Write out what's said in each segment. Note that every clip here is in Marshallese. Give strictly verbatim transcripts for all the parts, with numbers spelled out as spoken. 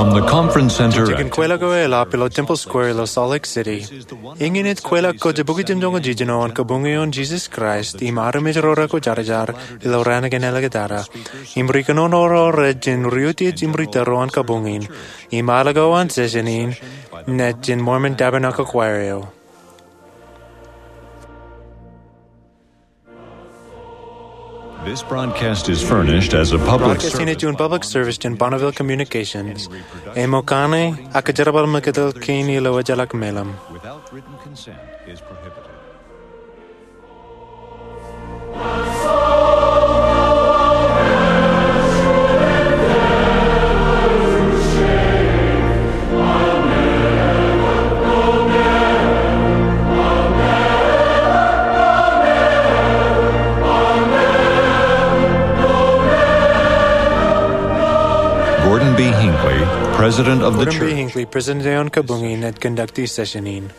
From the Conference Center. Jen kweilọk eo eḷap ilo Temple Square ilo Salt Lake City. Eñin ej kweilọk ko Jibukwi Jimjuonñoul Jiljino an Kabuñe eo an Jesus Christ im armej ro rekwōjarjar ilo raan kein āliktata. Im ri kōnono ro rej jen ri utiej im ri tōro an kabuñ in. Im ālikin session in, ej jān Mormon Tabernacle Choir eo. This broadcast is furnished as a public service. Broadcast in ej juon public service jān Bonneville Communications. Āinwōt kaṇe, ak jerbal meketel kein ilo ejjeḷọk meḷeḷe. Without written consent is prohibited. Gordon B. Hinckley, President of the Church. Gordon B. Hinckley, President eo an kabuñ in, ej conduct e session in.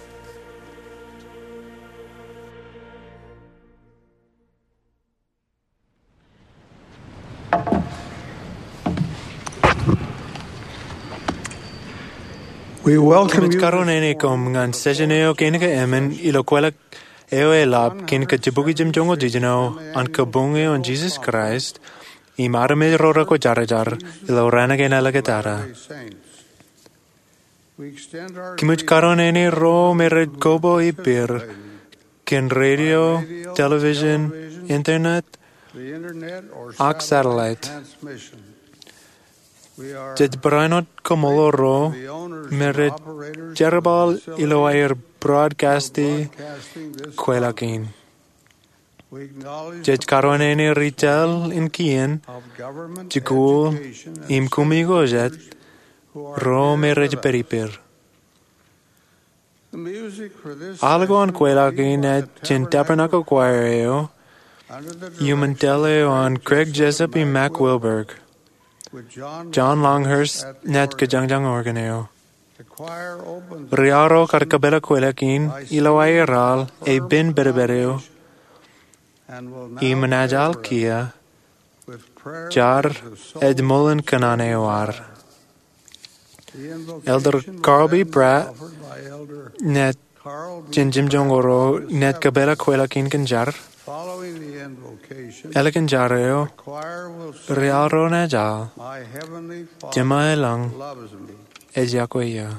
We welcome you. Kōmij karuwainene koṃ ñan session eo kein ke emān ilo kweilọk eo eḷap kein ke Jibukwi Jimjuonñoul Jiljino an Kabuñe eo an Jesus Christ im armej ro rekwōjarjar ilo raan kein āliktata. Kōmij karuwainene ro me rej koba ippād kōn radio, television, internet, ak satellite. Jej barāinwōt kaṃṃoolol ro me rej jerbal ilo aer broadcast e kweilọk in. Jej karuwainene ri-tōl in kien, jikuuḷ, im koṃ ijoko jet, ro me rej pād ippād. Ālikin kweilọk in ej jān Tabernacle Choir eo, iuṃwin tōl eo an Craig Jessup im Mack Wilberg. John Longhurst naaj kōjañjañ organ eo. Ri-aorōk ar kōpeḷḷọk kweilọk in ilo aer al e pen pedped eo im enaaj al kiiō, jar ej ṃool in kōṇaan eo ad. Elder Carl B. Pratt naaj jān jimjuonñoul ro naaj kōpeḷḷọk kweilọk in kōn jar. Ālikin jar eo, ri-aorōk ro naaj al, Jema eo ilañ ej iọkwe eō.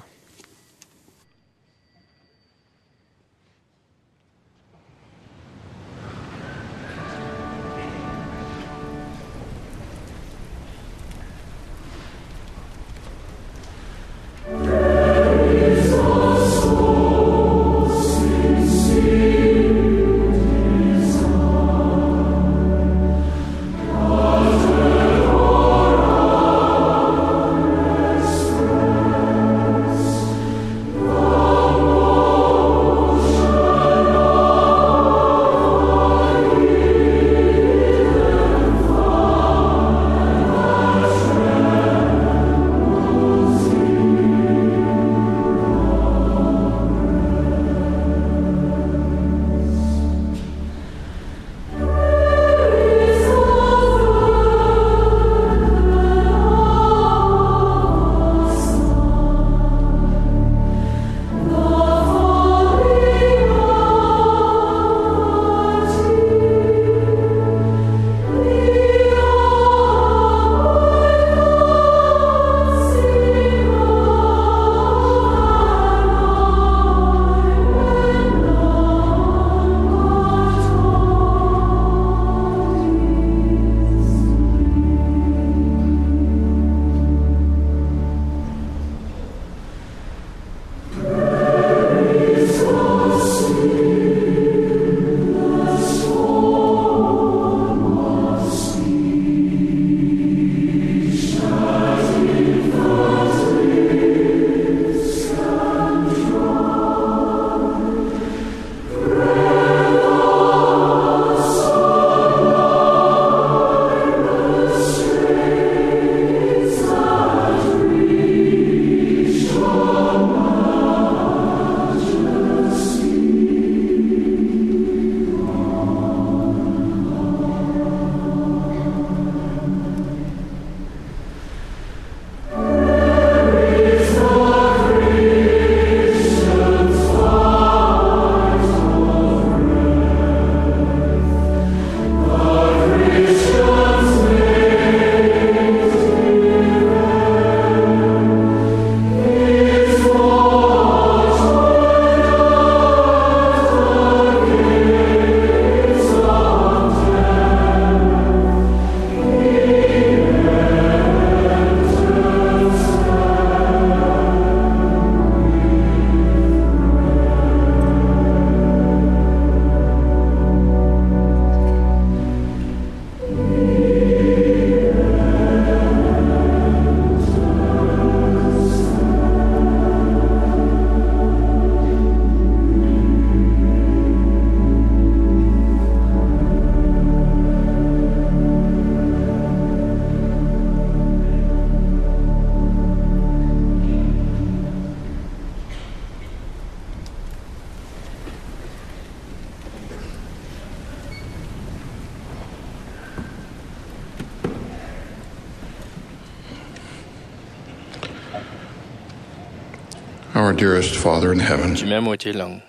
Our dearest Father in heaven, Jemem eo ej ilọñ,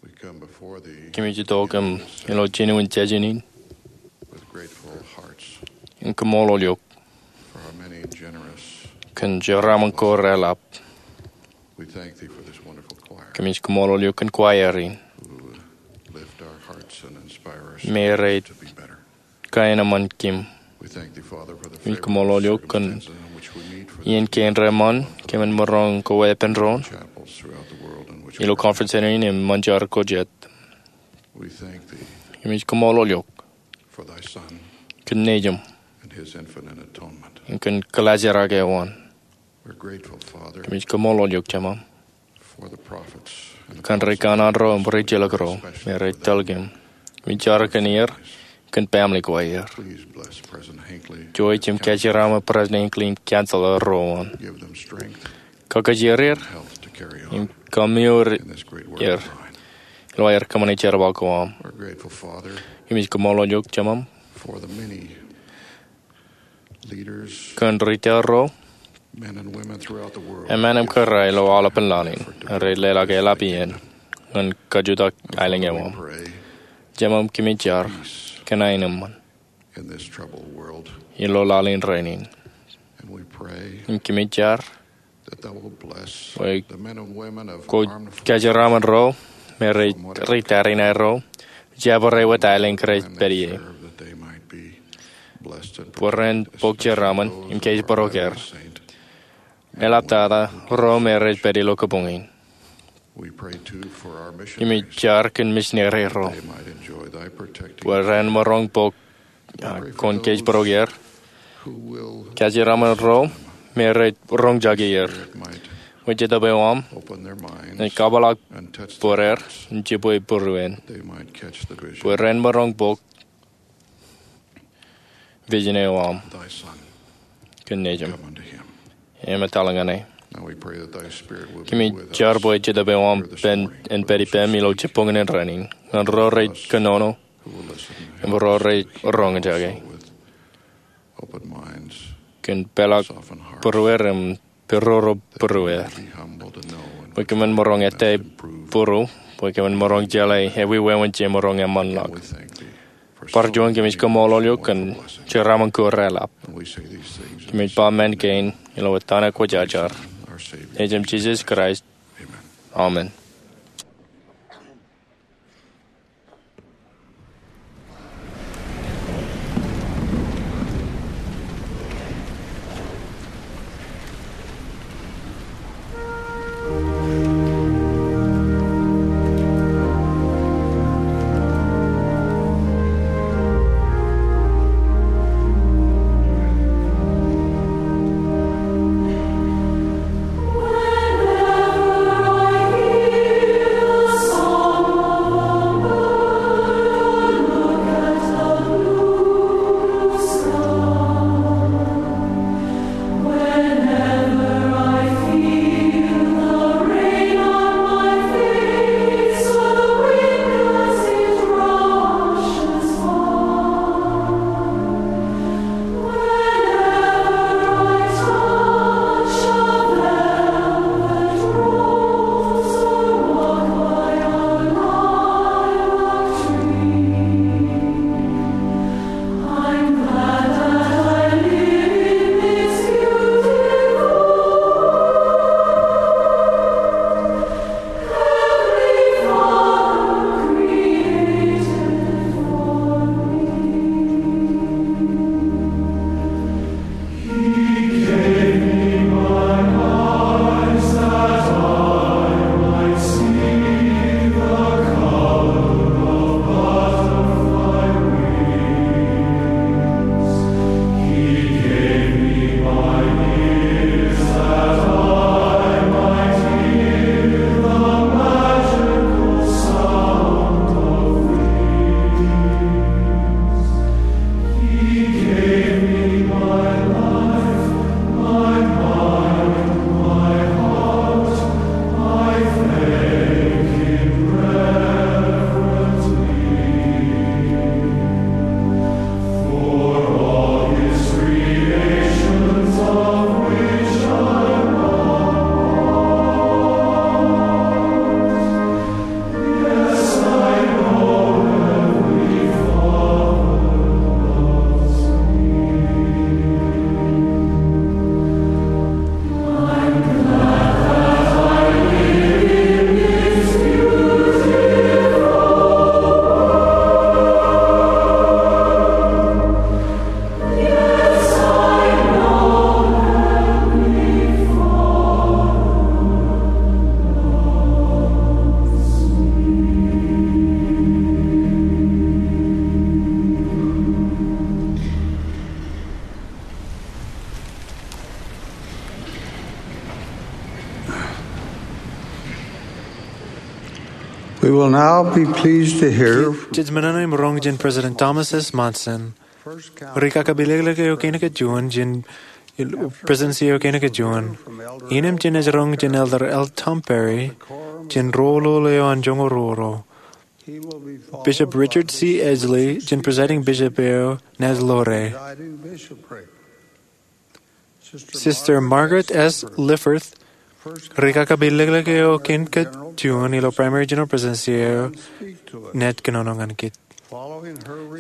we come before thee kōmij itok im ilo jinen jejin in with grateful hearts in kaṃṃoolol eok for our many generous kōn jeraaṃṃan ko reḷap. We thank thee for this wonderful choir Kōmij kaṃṃoolol eok kōn choir in who lift our hearts and inspire us me rej to be better. Kaenōṃṃan kōm. We thank thee, Father, for the Kōmij kaṃṃoolol eok kōn circumstances in which we meet for iien kein reṃṃan kōmin maroñ ko weeppān doon chapels throughout the world in which ilo we conference center in im ṃōn jar ko jet. We thank thee Kōmij kaṃṃoolol eok for thy Son kōn Nejiṃ and his infinite atonement. Im kōn kōḷaajrake eo an. We're grateful, Father, Kōmij kaṃṃoolol eok Jemām for the prophets and kōn ri kanaan ro im ri ejjeḷọk ro me rej tōl kōm. Kōmij jar kōn er, kōn family ko aer. Please bless President Hinckley. Jouj im kajeraṃṃan President Hinckley im council ro an. Give them strength Kakajeer er and health to carry on im kōmmeoor in this great work er of thine. Ilo aer kōṃṃane jerbal ko aṃ. We're grateful, Father, Kōmij kaṃṃoolol eok Jemām for the many leaders, kōn ri tōl ro, men and women throughout the world, emān im kōrā ilo aolepān laḷ in, rej leḷọk eḷap iien ñan kajutak aelōñ eo aṃ. Jemām kōmij jar kōn aenōṃṃan in this troubled world. Ilo laḷ in rainin. And we pray Im kōmij jar that thou will bless bwe the men and women of kwōj armed forces kajeraṃṃan ro me rej ri tariṇae ro, jabdewōt aelōñ kōj rej pād ie. Serve that they might be blessed and bwe ren bok jeraaṃṃan im kōjparok er. Eḷaptata ro me rej pād ilo kabuñ in. We pray too for our missionaries. Kōmij jar kōn misineri ro. They might enjoy thy protecting bwe ren maroñ bok, ah, kwōn kōjparok er. Who will kajeraṃṃan ro me rej roñjake er. Spirit might bwe Jetōb eo aṃ open their minds en kabōḷḷọk and touch bōd er their hearts, im jibwe būruon. They might catch the vision. Bwe ren maroñ bok vision eo aṃ. Thy Son. Kōn Nejiṃ. Come unto him. Im etal ñan e. Now we pray that thy Spirit will be with us here this morning. Kōmij jar bwe Jetōb eo aṃ en pād ippām ilo jibboñōn in rainin. Ñan ro rej kōnono who will listen im ro rej roñjake. Open minds, kōn peḷḷọk soften hearts, būruer im peroro būruer. Be humble to know and bwe kōmin maroñ ettā būru, bwe kōmin maroñ jeḷā ewi wāween jemaroñ eṃṃanḷọk. We thank thee for so many wonderful blessings. Bar juon kōmij kaṃṃoolol eok kōn jeraaṃṃan ko reḷap. And we say these things in the name of our Savior, Jesus Christ. Kōmij ba men kein ilo etan ekwōjarjar, Nejiṃ Jisōs Kraist. Amen. Amen. We will now be pleased to hear Jej men in im roñ jān President Thomas S. Monson, rikakapelōklōk eo kein kajjien jān Presidency eo kein kajjien. Innām jen roñ jān Elder L. Tom Perry jān roll eo an joñoul ruo ruo. Bishop Richard C. Edgley jān Presiding Bishop eo naaj ḷoore. Sister Margaret S. Lifforth, rikakapelōklōk eo kein kajjien ilo Primary General Presidency eo, naaj kōnono ñan kōj.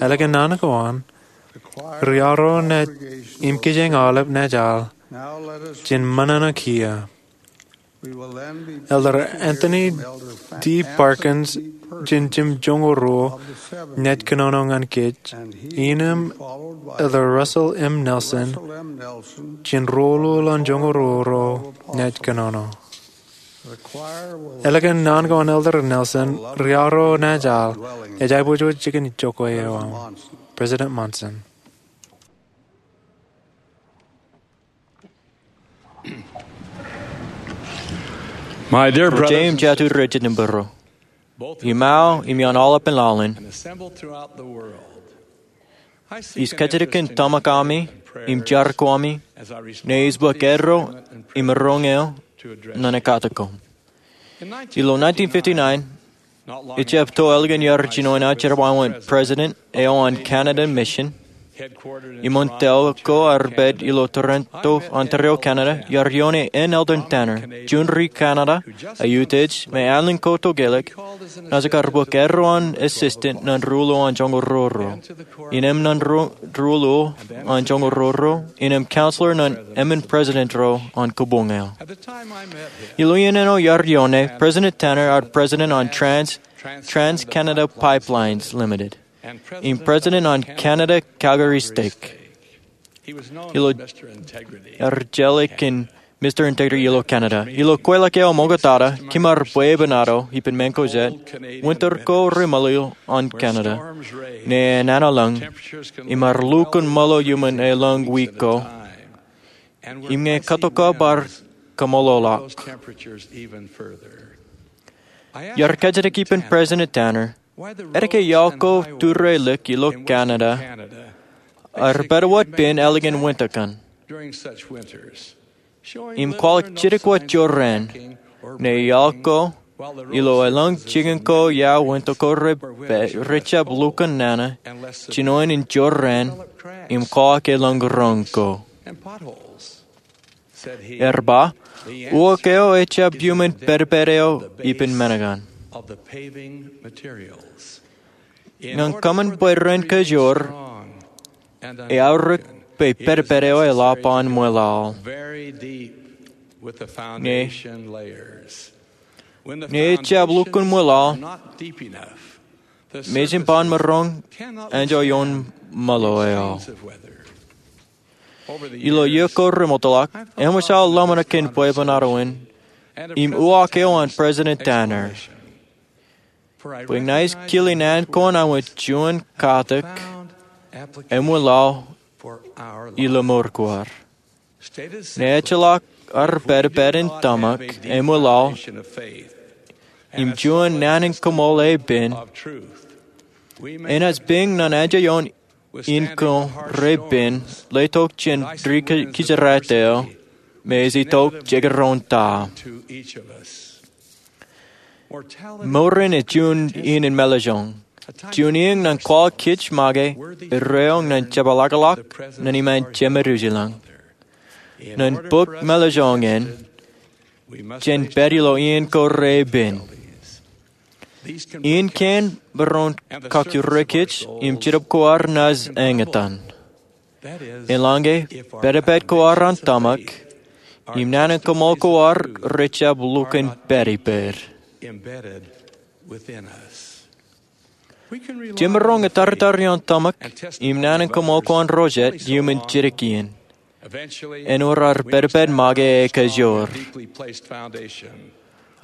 Ālikin naan ko an, riaro naaj im kijeñ aolep naaj al jān ṃōṇōṇō kiiō. Elder Anthony D. Parkins jān jimjuon joñoul ruo naaj kōnono ñan kōj, innām Elder Russell M. Nelson jān roll eo an joñoul ruo ruo naaj kōnono. Ālikin naan ko an Elder Nelson, riaro naaj al, ej aiboojoj jikin jokwe eo aṃ. President Monson. My dear brothers, Ri jeiū im jatū rej jitōnbōro, im aō im ioon aolepen laḷ in, ij kajjitōk in tōmak ami im jar ko ami ñe ij bōk erro im roñ eo ñan ekatokkom. Ilo nineteen fifty-nine, ejjab to ālikin iar jinoin aō jerbal wōt president eo an Canada Mission, iṃōn tōl ko ear pād ilo Toronto, Ontario, Canada, iar ioone N. Eldon Tanner, juon ri-Canada, eutiej me ālin ko tokālik, naaj kar bōk erro an assistant ñan roll eo an joñoul ruo ruo, innām ñan roll eo an joñoul ruo ruo, innām counselor ñan emān president ro an kōbuñ eo. Ilo iien eo iar ioone, President Tanner ear president an Trans, Trans Canada Pipelines Limited, im president an Canada Calgary Stake. Ilo, ear jeḷā kōn Mister Integrity ilo Canada. Ilo kweilọk eo ṃoktata, kōm ar bwebwenato ippān ṃōñā ko jet, winter ko reṃōḷo an Canada, ñe enana lōñ, im ar lukkuun ṃōḷo iuṃwin elōñ wiik ko, im ñe katok ko bar kaṃṃoolol ḷọk. Iar kajjitōk ippān President Tanner, etke iaḷ ko tūrelik ilo Canada ear pād wōt pein ālikin winter kaṇ. Im kwaḷọk jidik wōt jorrāān, ñe iaḷ ko ilo elōñ jikin ko ia winter ko re, rejjab lukkuun nana, jinoin in jorrāān, im kwaḷọk elōñ roñ ko. Ear ba, uwaak eo ejjab iuṃwin pedped eo ippān men kaṇ. Ñan kōṃṃan bwe ren kajoor, eaorōk bwe pedped eo eḷap an ṃweḷaḷ. Ñe, ñe ejjab lukkuun ṃweḷaḷ, mejān ban maroñ anjọ ioon ṃōḷo eo. Ilo iiō ko remootḷọk, eṃōj aō ḷōmṇak kōn bwebwenato in im uwaak eo an President Tanner, bwe ña ij kile naan ko an aō wōt juon katak eṃwilaḷ ilo mour ko ad. Ñe ejjeḷọk ad pedped in tōmak eṃwilaḷ im juon naan in kaṃool epen, enaaj piñ ñan anjọ ioon iien ko repen, letok jān ri-, kijeraet eo, me ej itok jekdọọn ta. Mour in ej juon iien in mālōtlōñ, juon iien ñan kwaḷọk kōj make erreo ñan jepḷaakḷọk ñan iṃaan Jemedwōj ilañ. Ñan bōk mālōtlōñ in, jen pād ilo iien ko repen. Iien kein maroñ kakkure kōj im Jetōb ko ad naaj eñtaan. Eḷaññe pedped ko ad an tōmak, im naan in kaṃool ko ad rejjab lukkuun pād ippād. Jemaroñ ettaritar ioon tōmak im naan in kaṃool ko an ro jet iuṃwin jidik iien. Āinwōt ad pedped make ekajoor.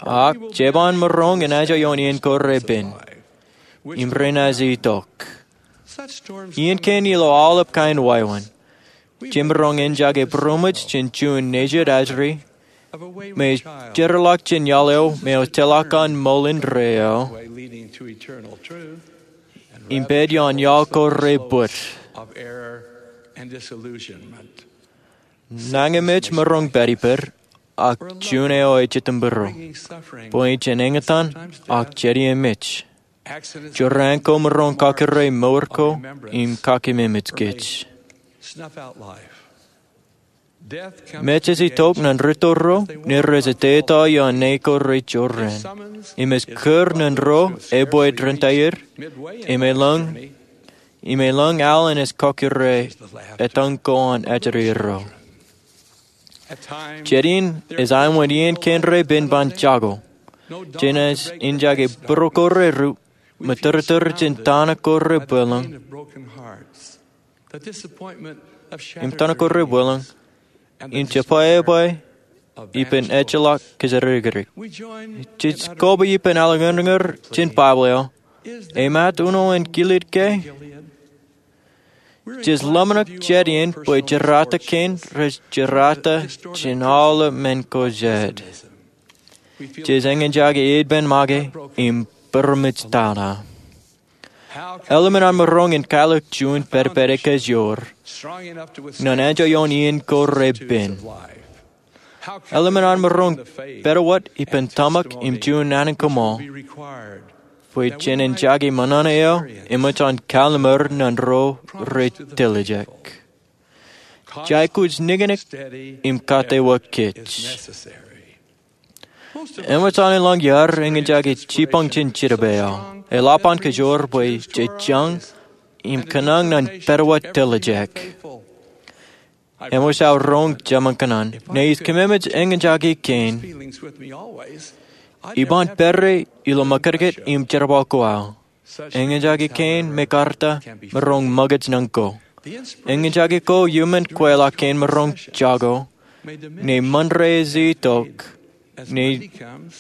Ak jeban maroñ en anjọ ioon iien ko repen. Im renaaj itok. Iien kein ilo aolep kain wāween. Jemaroñ en jake būroṃōj jān juon nejid ajri, me jeorḷọk jān iaḷ eo me ejjeḷọk an ṃool indeeo im pād ioon iaḷ ko rej bōd. Nañinmej maroñ pād ippād, ak juon eo ej itok būruō bwe jen eñtaan ak jediemej. Jorrāān ko maroñ kakure mour ko im kakememej kōj. Mej ej itok ñan rūtto ro, ñe rej etetal ioon ñe ko rej jorrāān. Im ej kūr ñan ro epwe dān ta er, im elōñ, im elōñ aolep ej kakure etañ ko an ajri ro. Jet in ej aemān iien kein repen ban jako. Jenaaj eñjake būruō ko rej ru, im tōrtōr jān tana ko rej bwilōñ, im tana ko rej bwilōñ, im jebwābwe ippān ejjeḷọk kōjatdikdik. Jej koba ippān alleñoñoñ jān Baibōḷ eo, Emaat uno in Gilead ke? Jej ḷōmṇak jet in bwe jerata kein rej jerata jān aolep men ko jet. Jej eñjake ippān make im būroṃōj tata. Eḷmen an maroñ in kaelōk juon pād pād ekōjwōr ñan enjeḷ ioon iien ko repen. Eḷmen an maroñ pād wōt ippān tōmak im juon naan in kōṃṃool bwe jen eñjake ṃōṇōṇō eo eṃōj an kalliṃur ñan ro rej tiljek. Jaikuj niknik im kate wōt kōj. Eṃōj an elōñ iaad eñjake jibboñ jān jidipe eo. Eḷap an kōjwōr bwe jej jañ im kōṇaan ñan pād wōt tiljek. Eṃōj aō roñ jemān kōṇaan, ñe ij kememej eñjake kein, iban pād ilo mōkajkōt im jerbal ko aō. Eñjake kein me karta maroñ ṃōkaj ñan ko. Eñjake ko iuṃwin kweilọk kein maroñ jako, ñe Ṃande ej itok, ñe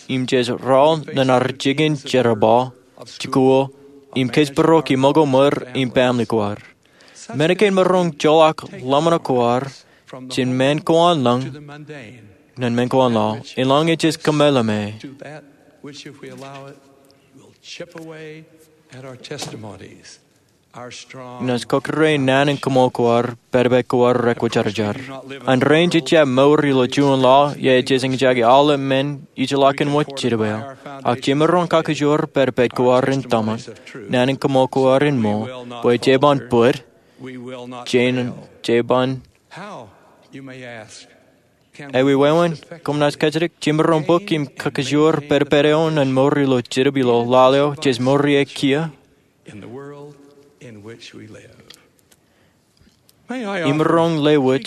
im jej rọọl ñan ad jikin jerbal, jikuuḷ, im kōjparok ṃōko ṃōr im baaṃle ko ad. Men kein maroñ joḷọk ḷōmṇak ko ad jān men ko an lōñ ñan men ko an laḷ, eḷaññe jej kōmeḷeḷe. Naaj kọkkure naan in kōṃṃool ko ad, pād pād ko ad rekwōjarjar. An rein jej jab mour ilo juon laḷ, jej eñjake aolep men ijellọkin wōt jidipe eo. Ak jemaroñ kakōjwōr pād pād ko ad in tōmak, naan in kōṃṃool ko ad in ṃool, bwe jeban bōd, jeban. Eweween, koṃ naaj kajjitōk, jemaroñ bōk im kakōjwōr pād pād eo ñan mour ilo jedep ilo laḷ eo jej mour ie kiiō? Imaroñ lewōj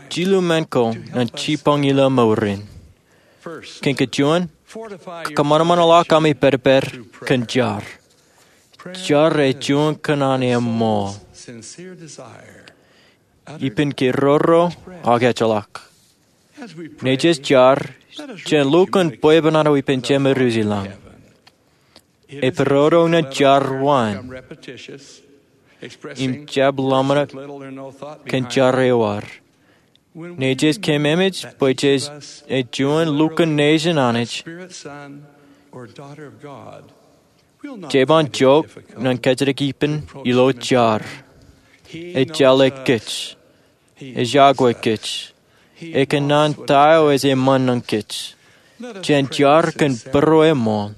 jilu men ko ñan jibboñ ilo mour in. Kōn kajuon, kōṃanṃanḷọk ami pād pād kōn jar. Jar ej juon kōṇaan eṃṃool. Ippān ke roro ak ejjeḷọk. Ñe jej jar, jen lukkuun bwebwenato ippān Jemedwōj ilañ. Epidodo ñan jar wōn im jab ḷōmṇak kōn jar eo ad. Ñe jej kememej bwe jej ej juon lukkuun nejin Anij, jeban jook ñan kajjitōk ippān ilo jar. Ejjeḷọk kōj. Ej iọkwe kōj. Ekōṇaan ta eo ej eṃṃan ñan kōj. Jen jar kōn būrueṃṃool.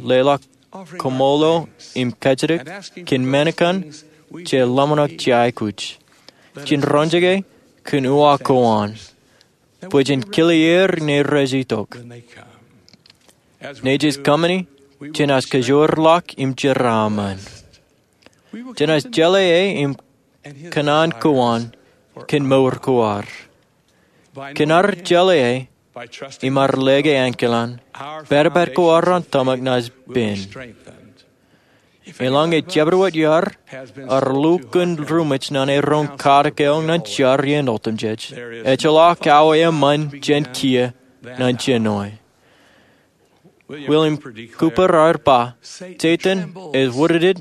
Leḷọk kōṃṃool im kajjitōk kōn men kaṇ jej ḷōmṇak jej aikuj. Jen roñjake kōn uwaak ko an, bwe jen kile er ñe rej itok. Ñe jej kōṃṃani, jenaaj kōjwōrḷọk im jeraaṃṃan. Jenaaj jeḷā e im kōṇaan ko an kōn mour ko ad. Kōn ad jeḷā e im ad lōke ankilaan, pād pād ko ad an tōmak naaj pen. Eḷaññe jabdewōt iaad ear lukkuun ruṃwij ñan e roñ katak eo ñan jar iien otemjej, ejjeḷọk aō eṃṃan jān kiiō ñan jenoe. William Cowper ear ba, Setan ej wūdikdik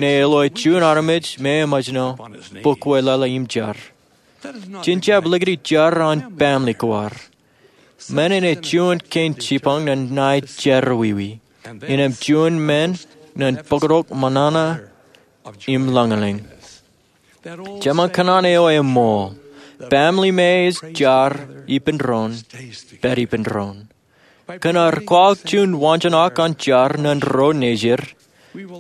ñe eḷo juon armej me eṃōjṇọ bōk weḷeḷe im jar. Jen jab likūti jar an baaṃle ko ad. Men in ej juon kein jipañ ñan ṇae jerọwiwi, innām juon men ñan bōktok ṃōṇōṇō im lañlōñ. Jeṃañ kōṇaan eo eṃool: Baaṃle me ej jar ippān doon, pād ippān doon. Kōn ad kwaḷọk juon waanjoñak an jar ñan ro nejier,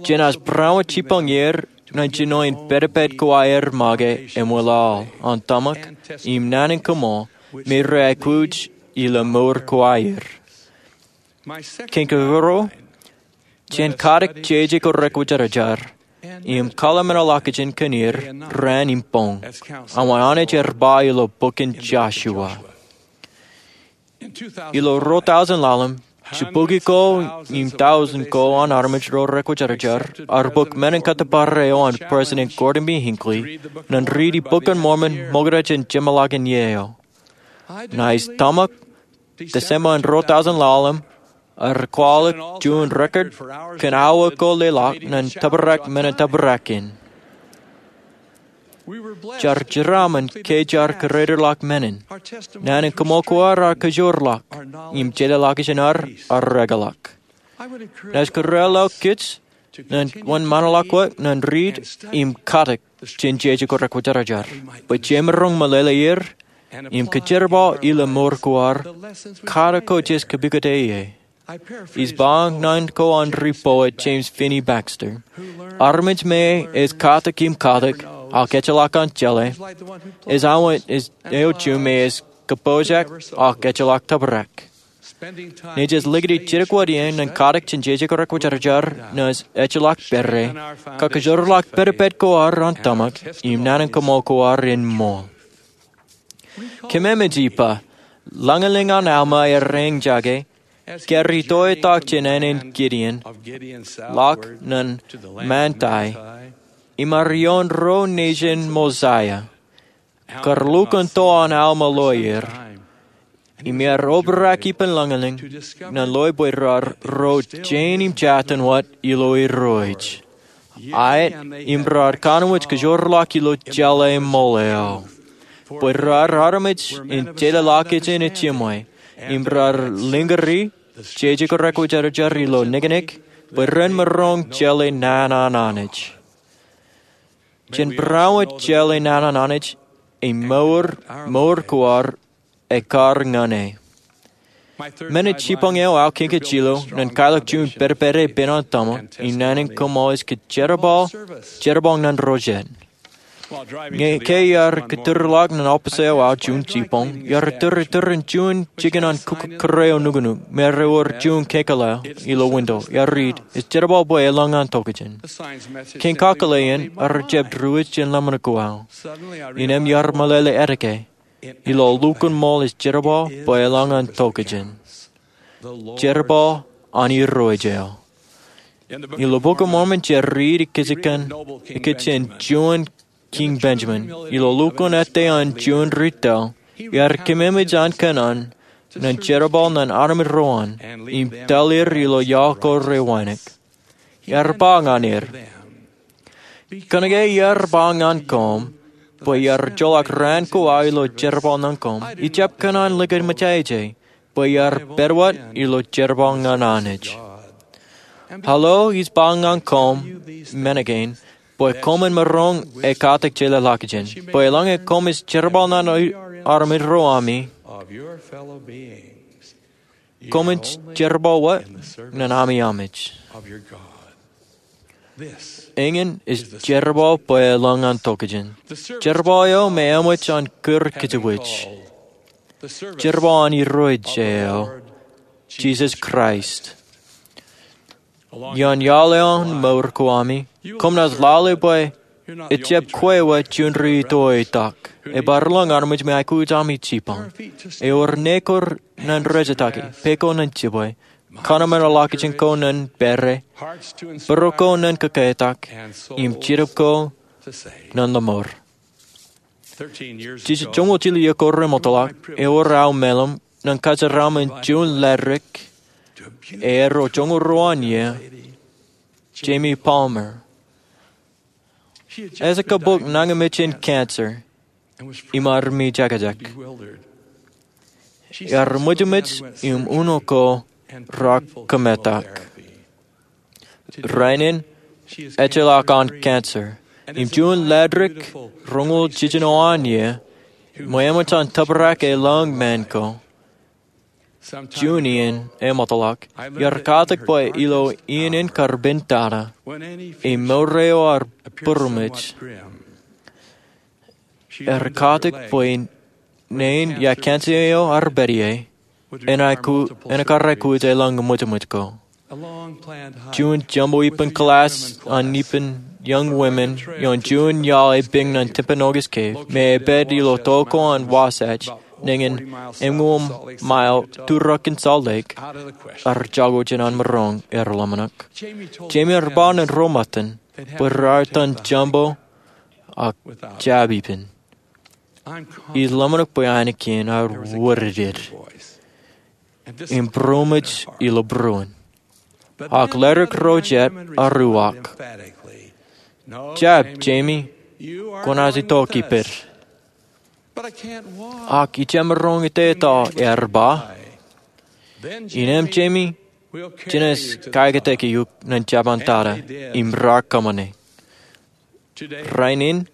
jenaaj barāinwōt jipañ er ñan jino in pedped ko aer make im wōlaḷ an tōmak im naan in kōṃṃool me reaikuj ilo mour ko aer. Kein keruo, jen katak jeje ko rekwōjarjar im kwaḷọk men eo ḷọkjeṇ kōn er raan im boñ, aṃ an Anij ear ba ilo bok in Josua. Ilo ruo tọujin ḷalem, jibukwi ko im tọujin ko an armej ro rekwōjarjar ear bōk men in kōttōpar eo an President Gordon B. Hinckley ñan riiti Bok in Mormon ṃokta jān jeṃḷọkin iiō eo. Ṇae ij tōmak December in ruo tọujin ḷalem, ear kwaḷọk juon record kōn awa ko leḷọk ñan tōprak men in tōprak in. Jar jeraaṃṃan ke jar kōrā ḷọk men in. Naan in kōṃṃool ko ad ear kajoor ḷọk, im jeḷā ḷọkjeṇ ad ear ekḷọk. Naaj kōrā ḷọk kōj ñan wōnṃaanḷọk wōt ñan riit im katak jān jeje ko rekwōjarjar, bwe jemaroñ meḷeḷe er im kōjerbal ilo mour ko ad katak ko jej kapikōte ie. Ij ba ñan ko an ri poet James Phinney Baxter: Armej me ej katak im katak ak ejjeḷọk an jeḷā, ej āinwōt eo juon me ej kapojak ak ejjeḷọk tōprak. Nejūṃ likūt jidik wōt ie ñan katak jān jeje ko rekwōjarjar ñan ejjeḷọk pere, kakajoor ḷọk pedped ko ad an tōmak im naan in kōṃṃool ko ad en ṃool. Kōmemej ippa, lañlōñ an Alma ear eñjake, ke ear itoitak jān ānen Gideon, ḷọk ñan Manti, im ear ioon ro nejin Mosaia. Kar lukkuun to an Alma loe er, im ear obrak ippān lañlōñ ñan loe bwe raar ro jein im jatūn wōt ilo Irooj. Aet, im raar kanooj kajoor ḷọk ilo jeḷā ṃool eo, bwe raar armej in jeḷā ḷọkjeṇ ijjiṃwe, im raar lōñri jeje ko rekwōjarjar ilo niknik, bwe ren maroñ jeḷā naan an Anij. Jen barāinwōt jeḷā naan an Anij, im mour, mour ko ad ekar ñan e. Men in jipañ eo aō kiñkijjilo ñan kailọk juon pedped epen an tōmak im naan in kōṃṃool ej kōjerbal, jerbal ñan ro jet. Ñe ke iar kōtūrḷọk ñan ọpiij eo aō juon jipañ, iar tūrtūr in juon jikin an kōkōrā eo nuknuk me ewōr juon kōkōḷḷe ilo winto, iar riit, Ej jerbal bwe elōñ an tokjān. Kein kakōḷḷe in ear jab diwōj jān ḷōmṇak ko aō. Innām iar meḷeḷe etke, ilo lukkuun ṃool, Ej jerbal bwe elōñ an tokjān. Jerbal an Irooj eo. Ilo Bok in Mormon jej riit ikijjien, ikijjien juon Kiiñ Benjamin, ilo lukkuun ettā an juon ri tōl, iar kōmemej an kōnono ñan jerbal ñan armej ro an, im tōl er ilo iọkwe ro rej wānōk. Iar ba ñan er, Kōnke iar ba ñan koṃ bwe iar joḷọk raan ko aō ilo jerbal ñan koṃ, ijjab kōnono likūt mejāje, bwe iar pād wōt ilo jerbal ñan Anij. Ilo ij ba ñan koṃ men kein, bwe koṃwin maroñ ekatak jeḷā ḷọkjeṇ, bwe eḷaññe koṃij jerbal ñan armej ro ami, koṃwin jerbal wōt ñan ami Anij. Eñin ej jerbal bwe elōñ an tokjān. Jerbal eo me eṃōj an kūr kōjepwōj. Jerbal an Irooj eo, Jisōs Kraist. Iaan iaḷ eo an mour ko ami, koṃ naaj lale bwe ejjab kwe wōt juon ri itoitak. Ebar lōñ armej me aikuj ami jipañ. Ewōr nekor ñan rejataki, pe ko ñan jibwe, kōṇaan ḷọkjeṇ ko ñan pere, būruō ko ñan kōketak, im jidip ko ñan lōṃour. Jijet joñoul jilu iiō ko remootḷọk, ewōr aō meḷeḷe ñan kōjeraaṃṃan juon latrik, eo joñoul ruo an iiō, Jamie Palmer. Ej kōbok nañinmej in cancer, im ear mijekjek. Ear ṃōjṃōj im uno ko raar kōmetak. Rainin, ejjeḷọk an cancer. Im juon ladik roñoul jiljino an iiō, ṃōj an tōprak elōñ men ko, juon iien eṃōtḷọk, iar katak bwe ilo iien in kar pen tata, im mour eo ear būroṃōj, ear katak bwe neen ia cancer eo ear pād ie, en ekkar aikuj elōñ ṃōjṃōj ko. Juon joñan ippān kilaaj an ippān young women ioon juon iaḷ epiñ ñan Timpanogos Cave, me ej pād ilo to ko an Wasatch, nañin eñoul mile turok in Salt Lake, ear jako jān an maroñ, ear ḷōmṇak. Jamie ear ba ñan ro ṃōttan bwe raar itan jumbo ak jab ippān. Ij ḷōmṇak bwe ainikien ear wōrded im būroṃōj ilo būruon. Ak ledik ro jet ear uwaak, "Jab, Jamie, kwōnaaj itok ippād." "Ak ij jab maroñ iteto," ear ba. "Innām, Jamie, jenaaj kaakōtōk eok ñan jab an tata," im raar kōṃṃane. Rainin,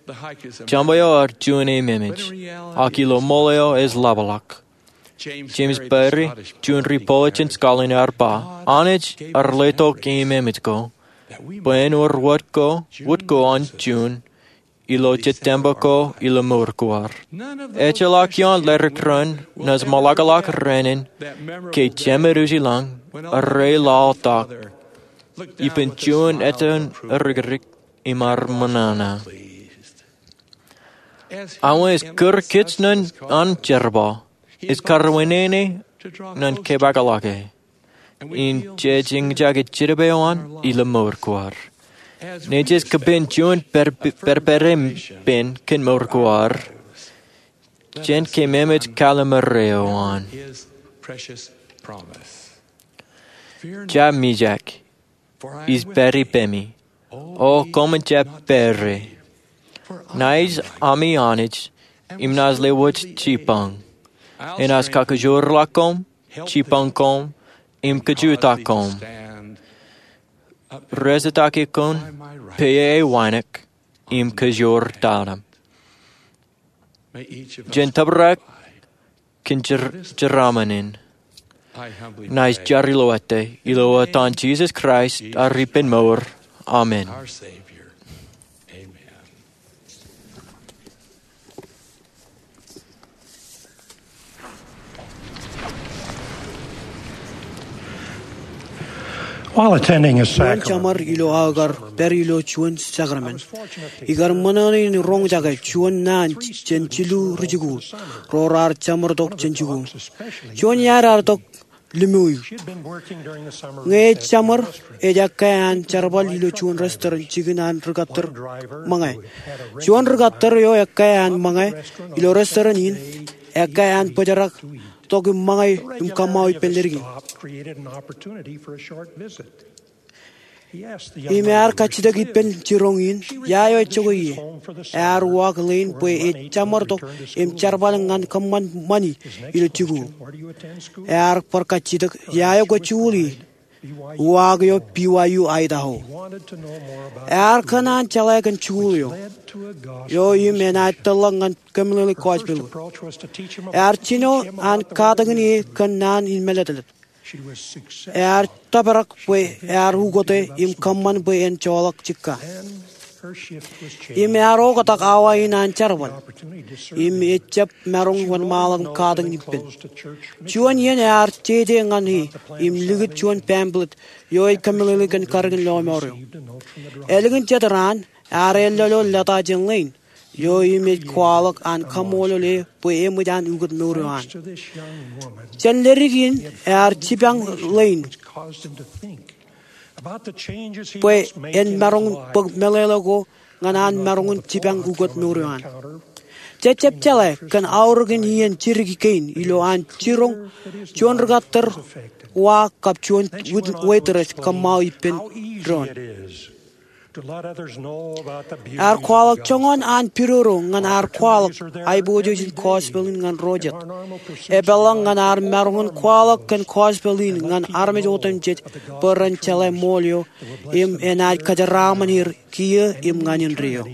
jumbo eo ear juon ememej, ak ilo ṃool eo ej ḷapḷọk. James Barrie, juon ri-poet jān Scotland, ear ba, "Anij ear letok ememej ko bwe en wōr wōt ko, wōt ko an juon ilo jet tempel ko ilo mour ko ad." Ejjeḷọk ioon ledik raṇ naaj ṃōḷakḷọk rainin ke jemed ujilañ, arreo laḷtak, ippān juon etan erikdik im ear ṃōṇōṇō. Awa ej kūr kōj ñan an jerbal, ej karwinene ñan kōpeḷḷọke im jej eñjake jidik eo an ilo mour ko ad. Nejū ej kōpein juon pād, pād, pād ippān kōn mour ko ad, jān kōmemej kalimjek eo an. Jab mijak, ij pād ippemi. O koṃwin jab pād ie. Naij ami Anij, im naaj lewōj jipañ. Enaaj kakajoorḷọk koṃ, jipañ koṃ, im kajutak koṃ. Rejetakin koṃ peiō wānōk im kajoor tata. Jān tōprak kōn jeraaṃṃan in, ña ij jar ilo ettā, ilo etan Jisōs Kraist, ad Ippān mour. Amen. While attending a sacrament, juon jeṃar ilo aō kar pād ilo juon sakramen, ikar ṃōṇōṇō in roñjake juon naan jān jilu rijikuuḷ ro raar jeṃartok jān jikuuḷ. Juon iaad ear itok Lemuel. Ñe ej jeṃar, ej ekkā an jerbal ilo juon restaurant jikin an rikōttar ṃōñā. Juon rikōttar eo ekkā an ṃōñā ilo restaurant in, ekkā an bōjrak tok im ṃōñā im kōṃṃao ippān ledik in. Im ear kajjitōk ippān jiroñ in, ia eo ejjokwe ie. Ear uwaak ḷein bwe ej jeṃartok im jerbal ñan kōṃṃan ṃani ilo jikuuḷ. Ear bar kajjitōk, ia eo kwōj jikuuḷ ie. Uwaak eo B Y U Idaho. Ear kōṇaan jeḷā kōn jikuuḷ eo, eo im enaaj tōrḷọk ñan kōmeḷeḷe gospel. Ear jino an katakin e kōn naan in mālōtlōt. Ear tōprak bwe ear ukōte im kōṃṃan bwe en joḷọk jikka. Im ear oktak awa in an jerbal. Im ejab maroñ wōnṃaanḷọk im katakin ippān. Juon iien ear jeje ñan e im likūt juon pamphlet eo ej kōmeḷeḷe kōn karōkin lọmọọr eo. Ālikin jet raan, ear ālōḷ ḷọk lōta jān ḷein eo im ej kwaḷọk an kaṃṃoolol e bwe eṃōj an ukōt mour eo an. Jān ledik in ear jipañ ḷein bwe en maroñ bōk meḷeḷe ko ñan an maroñ in jipañ ukōt mour eo an. Jej jab jeḷā kōn aorōkin iien jidik kein ilo an jiroñ juon rikōttar wa kab juon waitress kōṃṃao ippān doon. Ear kwaḷọk joñan an pidodo ñan ad kwaḷọk aiboojoj in gospel in ñan ro jet. Epeḷḷọk ñan ad maroñ in kwaḷọk kōn gospel in ñan armej otemjej bwe ren jeḷā ṃool eo im enaaj kōjeraaṃṃan er kiiō im ñan indeeo.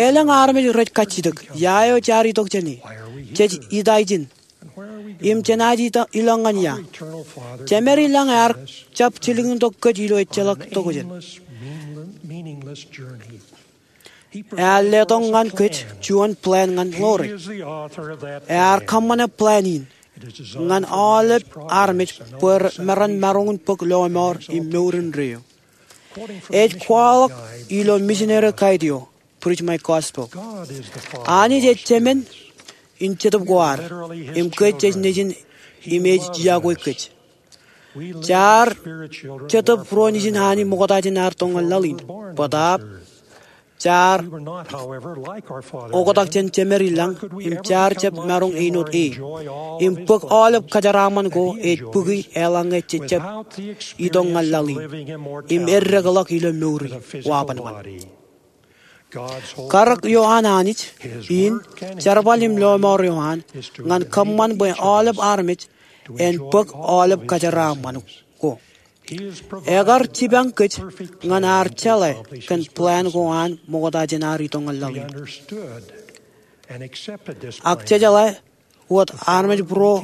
Elōñ armej rej kajjitōk, ia eo jaar itok jāne? Jej itaijin im jenaaj ilọk ñan ia? Jemed ilañ ear jab jilkintok kōj ilo ejjeḷọk tokjān. Ear letok ñan kōj juon plan ñan ḷoore. Ear kōṃṃane plan in ñan aolep armej bwe ren maroñ in bōk lọmọọr im mour indeeo. Ej kwaḷọk ilo missionary guide eo, Preach My Gospel. Anij ej Jemān in Jetōb ko ad, im kōj jej nejin im ej iọkwe kōj. Jaar Jetōb ro nejin Anij ṃokta jān ad itok ñan laḷ in. Bōtaab jaar oktak jān jemed ilañ, im jaar jab maroñ āinwōt e im bōk aolep kōjeraaṃṃan ko ej bōki eḷaññe jej jab itok ñan laḷ in im eddekḷọk ilo mour in wabanban. Karōk eo an Anij in, jerbal im lọmọọr eo an, ñan kōṃṃan bwe aolep armej en bōk aolep kōjeraaṃṃan ko. Ekar jipañ kōj ñan ad jeḷā kōn plan ko an ṃokta jān ad itok ñan laḷ in. Ak jejeḷā wōt armej būro,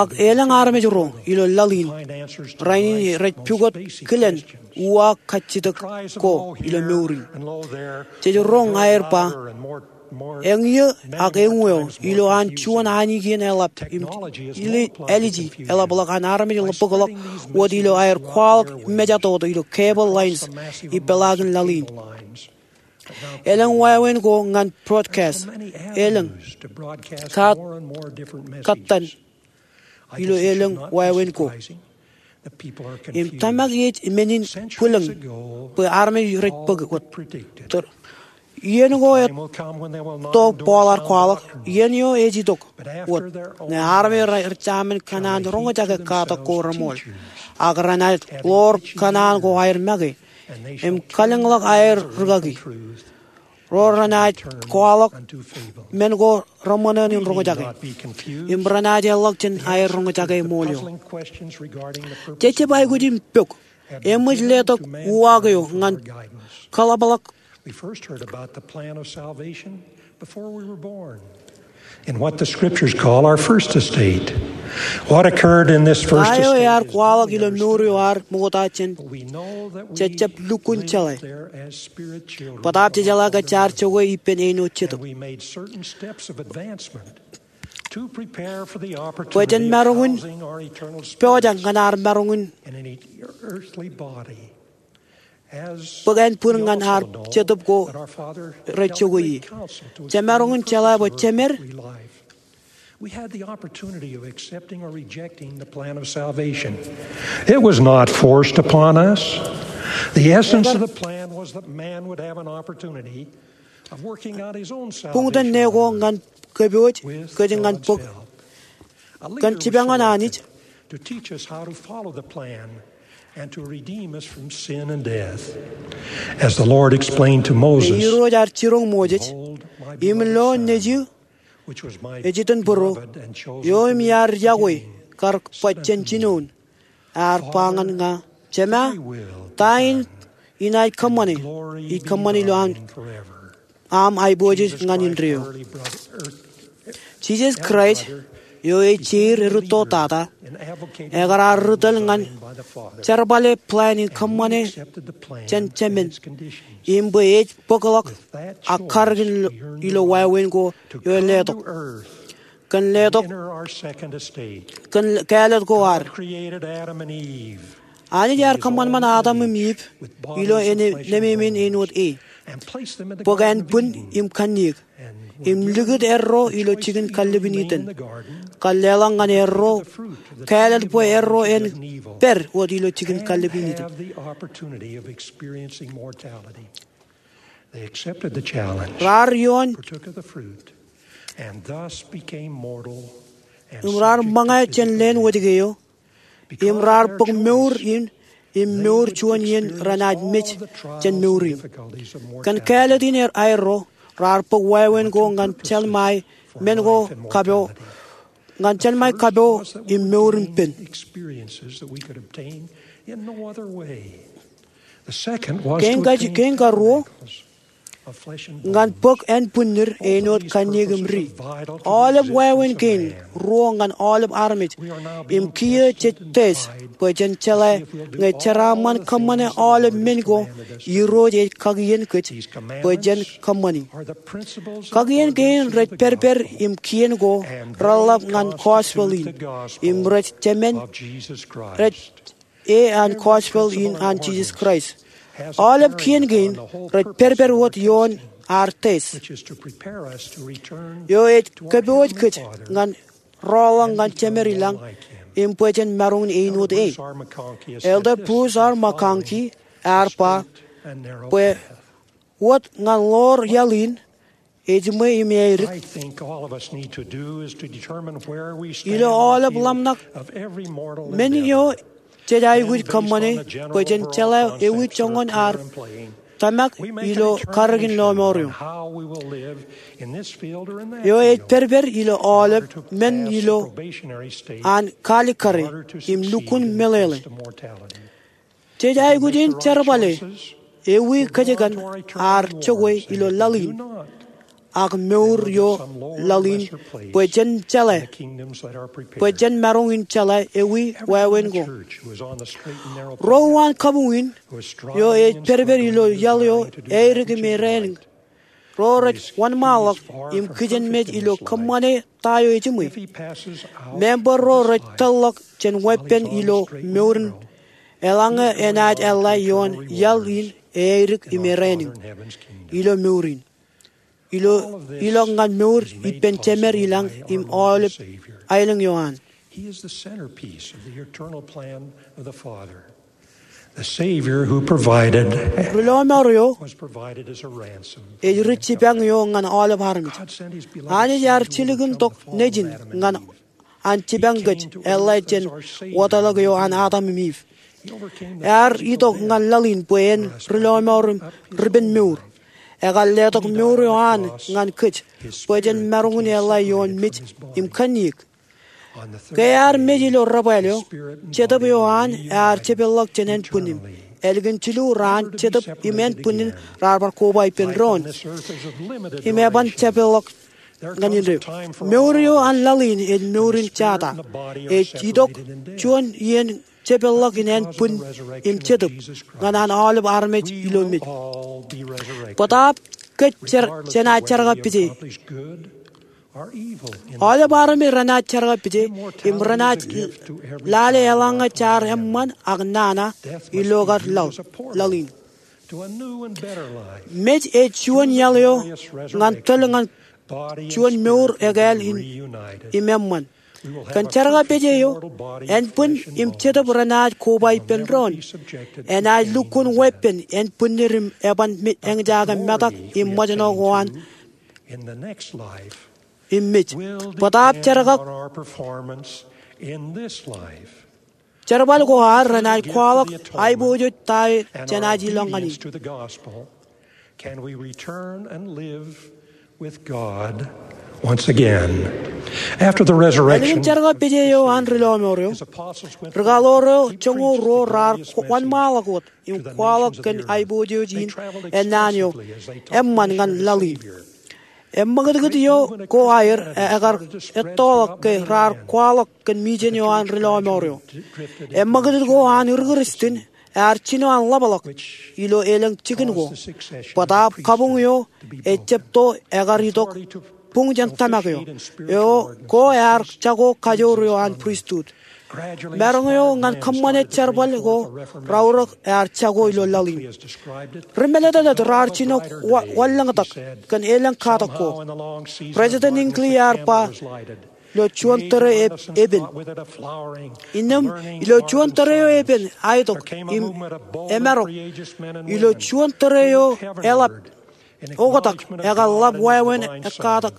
ak elōñ armej ro ilo laḷ in rainin rej pukot kilen uwaak kajjitōk ko ilo mour in. Jej roñ aer ba, eñeo ak eñeo ilo an juon ainikien eḷap im āliji eḷapḷọk an armej bōkḷọk wōt ilo aer kwaḷọk mejatoto ilo cable lines im peḷaakin laḷ in. Elōñ wāween ko ñan broadcast. Elōñ katak ilo elōñ wāween ko. Im tōmak ej men in bwilōñ bwe armej rej bōk wōt. Iien ko etto Paul ear kwaḷọk, iien eo ej itok wōt ñe armej rej jamin kōṇaan roñjake katak ko reṃool, ak renaaj ḷoor kōṇaan ko aer make im kalōñḷọk aer rikaki. Ro renaaj kwaḷọk men ko reṃōṇōṇō in roñjake im renaaj eḷḷọk jān aer roñjake ṃool eo. Jej jab aikuj in pok, eṃōj letok uwaak eo ñan kōḷapḷọk? We first heard about the plan of salvation before we were born. In what the scriptures call our first estate. What occurred in this first estate? Ta eo ear kwaḷọk ilo mour eo ad ṃokta jān jej jab lukkuun jeḷā? Bōtaab jejeḷā ke jaar jokwe ippān āinwōt jetōb. Bwe jen maroñ in pojak ñan ad maroñ in bōk ānbwin ñan ad jetōb ko rej jokwe ie. Jemaroñ in jeḷā bwe jemed. We had the opportunity of accepting or rejecting the plan of salvation. It was not forced upon us. The essence of the plan was that man would have an opportunity of working out his own salvation. Buñtōn ne ko ñan kōpooj kōj ñan bōk kōn jipañ an Anij. To teach us how to follow the plan and to redeem us from sin and death. As the Lord explained to Moses, Irooj ear jiroñ Moses, im lo nejū ej itōn būruō, eo im iar yokwe kar baj jān jinoin, ear ba ñan ña, Jema, ta in inaaj kōṃṃane? Ij kōṃṃane ilo aṃ aiboojoj ñan indeeo. Jisōs Kraist, eo ej jeir erūtto tata, ekar ar ri tōl ñan jerbale plan in kōṃṃane jān Jemān, im bwe ej bōkḷọk ak karōk in ilo wāween ko eo ej letok. Kōn letok, kōn kāālōt ko ad. Anij ear kōṃanṃan Adam im Iv ilo enememān āinwōt e, bōk ānbwin im kanniōk, im likūt erro ilo jikin kallib in Iden, kar leḷọk ñan erro kāālōt bwe erro en pād wōt ilo jikin kallib in Iden. Raar ioon im raar ṃōñā jān leen wōjke eo, im raar bōk mour in im mour juon iien renaaj mej jān mour in. Kōn kāālōt in aerro, raar bōk wāween ko ñan jeḷmāe men ko kapo, ñan jeḷmāe kapo im mour in pen. Kein karuo, ñan bōk ānbwinnid āinwōt kanniōk im ri. Aolep wāween kein ruo ñan aolep armej im kiiō jej test bwe jen jeḷā ñe jeraaṃṃan kōṃṃane aolep men ko Irooj ej kakien kōj bwe jen kōṃṃani. Kakien kein rej pād pād im kien ko reḷḷap ñan gospel in im rej jemān rej e an gospel in an Jisōs Kraist. Aolep kien kein rej pād pād wōt ioon ad test, eo ej kōpooj kōj ñan rọọlḷọk ñan Jemed ilañ im bwe jen maroñ in āinwōt e. Elder Bruce R. McConkie ear ba bwe wōt ñan ḷoor iaḷ in, ejiṃwe im aerik, ilo aolep ḷōmṇak men eo jej aikuj kōṃṃane bwe jen jeḷā ewi joñan ad tōmak ilo karreoin lọmọọr eo, eo ej pād pād ilo aolep men ilo an kalikkare im lukkuun meḷeḷe. Jej aikuj in jerbale ewi kōjkan ad jokwe ilo laḷ in, ak mour eo laḷ in, bwe jen jeḷā, bwe jen maroñ in jeḷā ewi wāween ko. Ro uwaan kabuñ in, eo ej pād pād ilo iaḷ eo aerik im erāinwōt, ro rej wōnṃaanḷọk im kijenmej ilo kōṃṃane ta eo ejiṃwe. Member ro rej tōlḷọk jān weeppān ilo mour in, eḷaññe enaaj eḷḷā ioon iaḷ in aerik im erāinwōt ilo mour in, ilo, ilọk ñan mour ippān Jemed ilañ im aolep aelōñ eo an. He is the centerpiece of the eternal plan of the Father. The Savior who provided Rilọmọọr eo was provided as a ransom. Ej ri jipañ eo ñan aolep armej. God sent his beloved Anij ear Son to jilkintok nejin ñan an jipañ kōj eḷḷā jān wōtlọk eo an Adam im Eve. Ear itok ñan laḷ in bwe en rilọmọọr im ripenmour. Ekar letok mour eo an ñan kōj bwe jen maroñ in eḷḷā ioon mej im kanniōk. Ke ear mej ilo debwāāl eo, Jetōb eo an ear jepeḷḷọk jān ānbwinnin. Ālikin jilu raan Jetōb im ānbwinnin raar bar koba ippān doon im eban jepeḷḷọk ñan indeeo. Mour eo an laḷ in ej mour in jata. Ej itok juon iien jepeḷḷọk in ānbwin im Jetōb ñan an aolep armej ilo mej. Bōtaab kōj jenaaj jerkakpeje. Aolep armej renaaj jerkakpeje im renaaj lale eḷaññe jaar eṃṃan ak nana ilo kar laḷ in. Mej ej juon iaḷ eo ñan tōl ñan juon mour ekāāl im eṃṃan. Kōn jerkakpeje eo, ānbwin im Jetōb renaaj koba ippān doon. Enaaj lukkuun weeppān ānbwinnid im eban eñjake metak im ṃōjṇọ ko an im mej. Bōtaab jerkak, jerbal ko ad renaaj kwaḷọk aiboojoj ta eo jenaaj ilọk ñan e. Can we return and live with God once again? After the resurrection, ālikin jerkakpeje eo an rilọmọọr eo, rikaḷoor eo joñoul ruo raar wōnṃaanḷọk wōt im kwaḷọk kōn aiboojoj in ennaan eo eṃṃan ñan laḷ in. Eṃṃakūtkūt eo ko aer ekar ettoḷọk ke raar kwaḷọk kōn mijen eo an rilọmọọr eo. Eṃṃakūtkūt ko an ri-Kristian ear jino an ḷapḷọk ilo elōñ jikin ko. Bōtaab kabuñ eo ejjab to ekar itok buñ jān tōmak eo, eo ko ear jako kajoor eo an pristut. Maroñ eo ñan kōṃṃane jerbal ko raorōk ear jako ilo laḷ in. Ri-mālōtlōt raar jino wanlōñtak kōn elōñ katak ko. President Hinckley ear ba, ilo juon tōre epen. Innām ilo juon tōre eo epen aitok im emarok. Ilo juon tōre eo eḷap oktak ekar ḷap wāween ekkatak.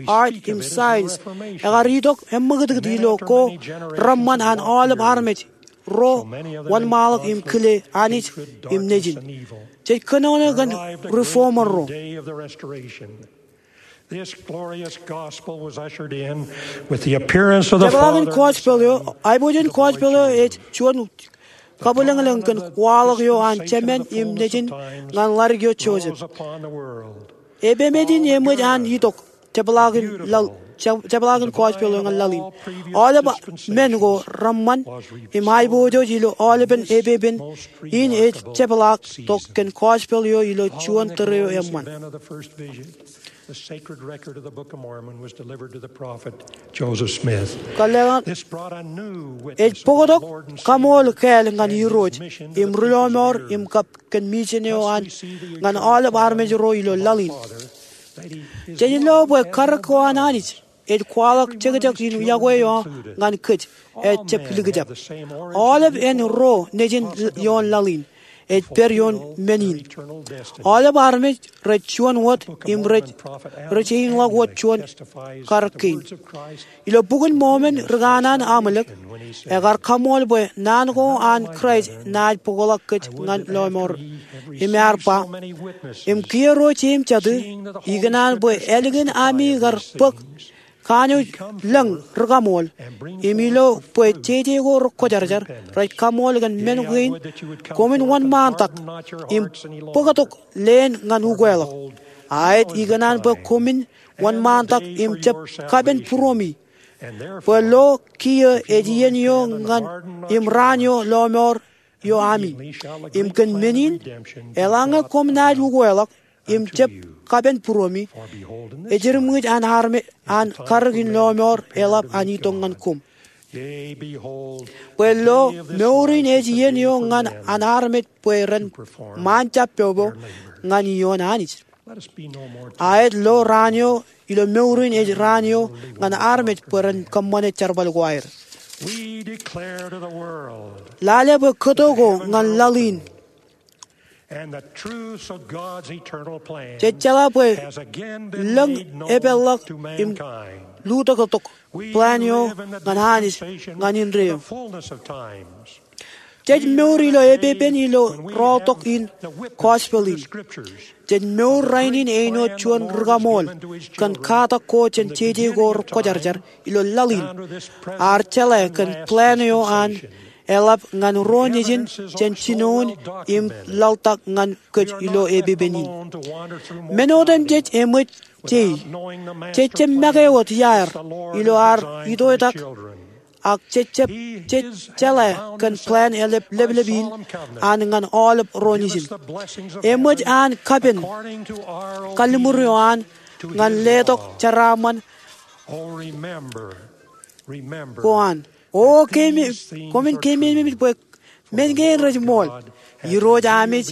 art im science. Ekar itok eṃṃakūtkūt ilo ko reṃṃan an aolep armej ro wōnṃaanḷọk im kile Anij im Nejin. Jej kōnono kōn reformer ro. Tōprak in gospel eo, aiboojoj in gospel eo ej juon kabwilōñlōñ kōn waḷọk eo an Jemān im Nejin ñan ḷadik eo Joseph. Epemeej in eṃōj an itok jepḷaak in gospel eo ñan laḷ in. Aolep men ko reṃṃan im aiboojoj ilo aolepen epepen in ej jepḷaak tok kōn gospel eo ilo juon tōre eo eṃṃan. Kōḷḷeeḷe, ej bōktok kaṃool kāāl ñan Irooj im ri-lọmọọr im kab kōn mijen eo an ñan aolep armej ro ilo laḷ in. Jej lo bwe karōk ko an Anij ej kwaḷọk jekjek in yokwe eo ñan kōj ejjab likjab. Aolep āinwōt ro nejin ioon laḷ in ej pād ioon men in. Aolep armej rej juon wōt im rej, rej eñḷọk wōt juon karōk kein. Ilo Bok in Mōmon ri kanaan Amalek ekar kaṃool bwe naan ko an Kraist enaaj bōkḷọk kōj ñan lọmọọr. Im ear ba, im kiiō ro jeim jatū, ikōṇaan bwe ālikin ami kar bōk kanooj lōñ rikaṃool, im ilo bwe jeje ko rekwōjarjar rej kaṃool kōn men kein, koṃwin wōnṃaantak im bōktok leen ñan ukeḷọk. Aet, ikōṇaan bwe koṃwin wōnṃaantak im jab kapen būroṃi. Bwe lo kiiō ej iien eo ñan im raan eo lọmọọr eo ami. Im kōn men in, eḷaññe koṃ naaj ukeḷọk im jab kapen būroṃi, ejirmwijin an armej an karōk in lọmọọr eḷap an itok ñan koṃ. Bwe lo, mour in ej iien eo ñan an armej bwe ren ṃaanjab popo ñan ioon Anij. Aet, lo raan eo ilo mour in ej raan eo ñan armej bwe ren kōṃṃane jerbal ko aer. Lale bwe kōto ko ñan laḷ in. Jej jeḷā bwe lōñ epeḷḷọk im lutōktok plan eo ñan Anij ñan indeeo. Jej mour ilo epepen ilo rọọltok in gospel in. Jej mour rainin āinwōt juon rikaṃool kōn katak ko jān jeje ko rekwōjarjar ilo laḷ in. Ear jeḷā kōn plan eo an eḷap ñan ro nejin jān jinoin im laḷtak ñan kōj ilo epepen in. Men otemjej eṃōj jei. Jej jab make wōt iaer ilo ad itoitak, ak jej jab, jej jeḷā kōn plan eḷap leplep in an ñan aolep ro nejin. Eṃōj an kapen kalliṃur eo an ñan letok jeraaṃṃan ko an. O keememej, koṃwin keememej bwe men kein rej ṃool. Irooj Anij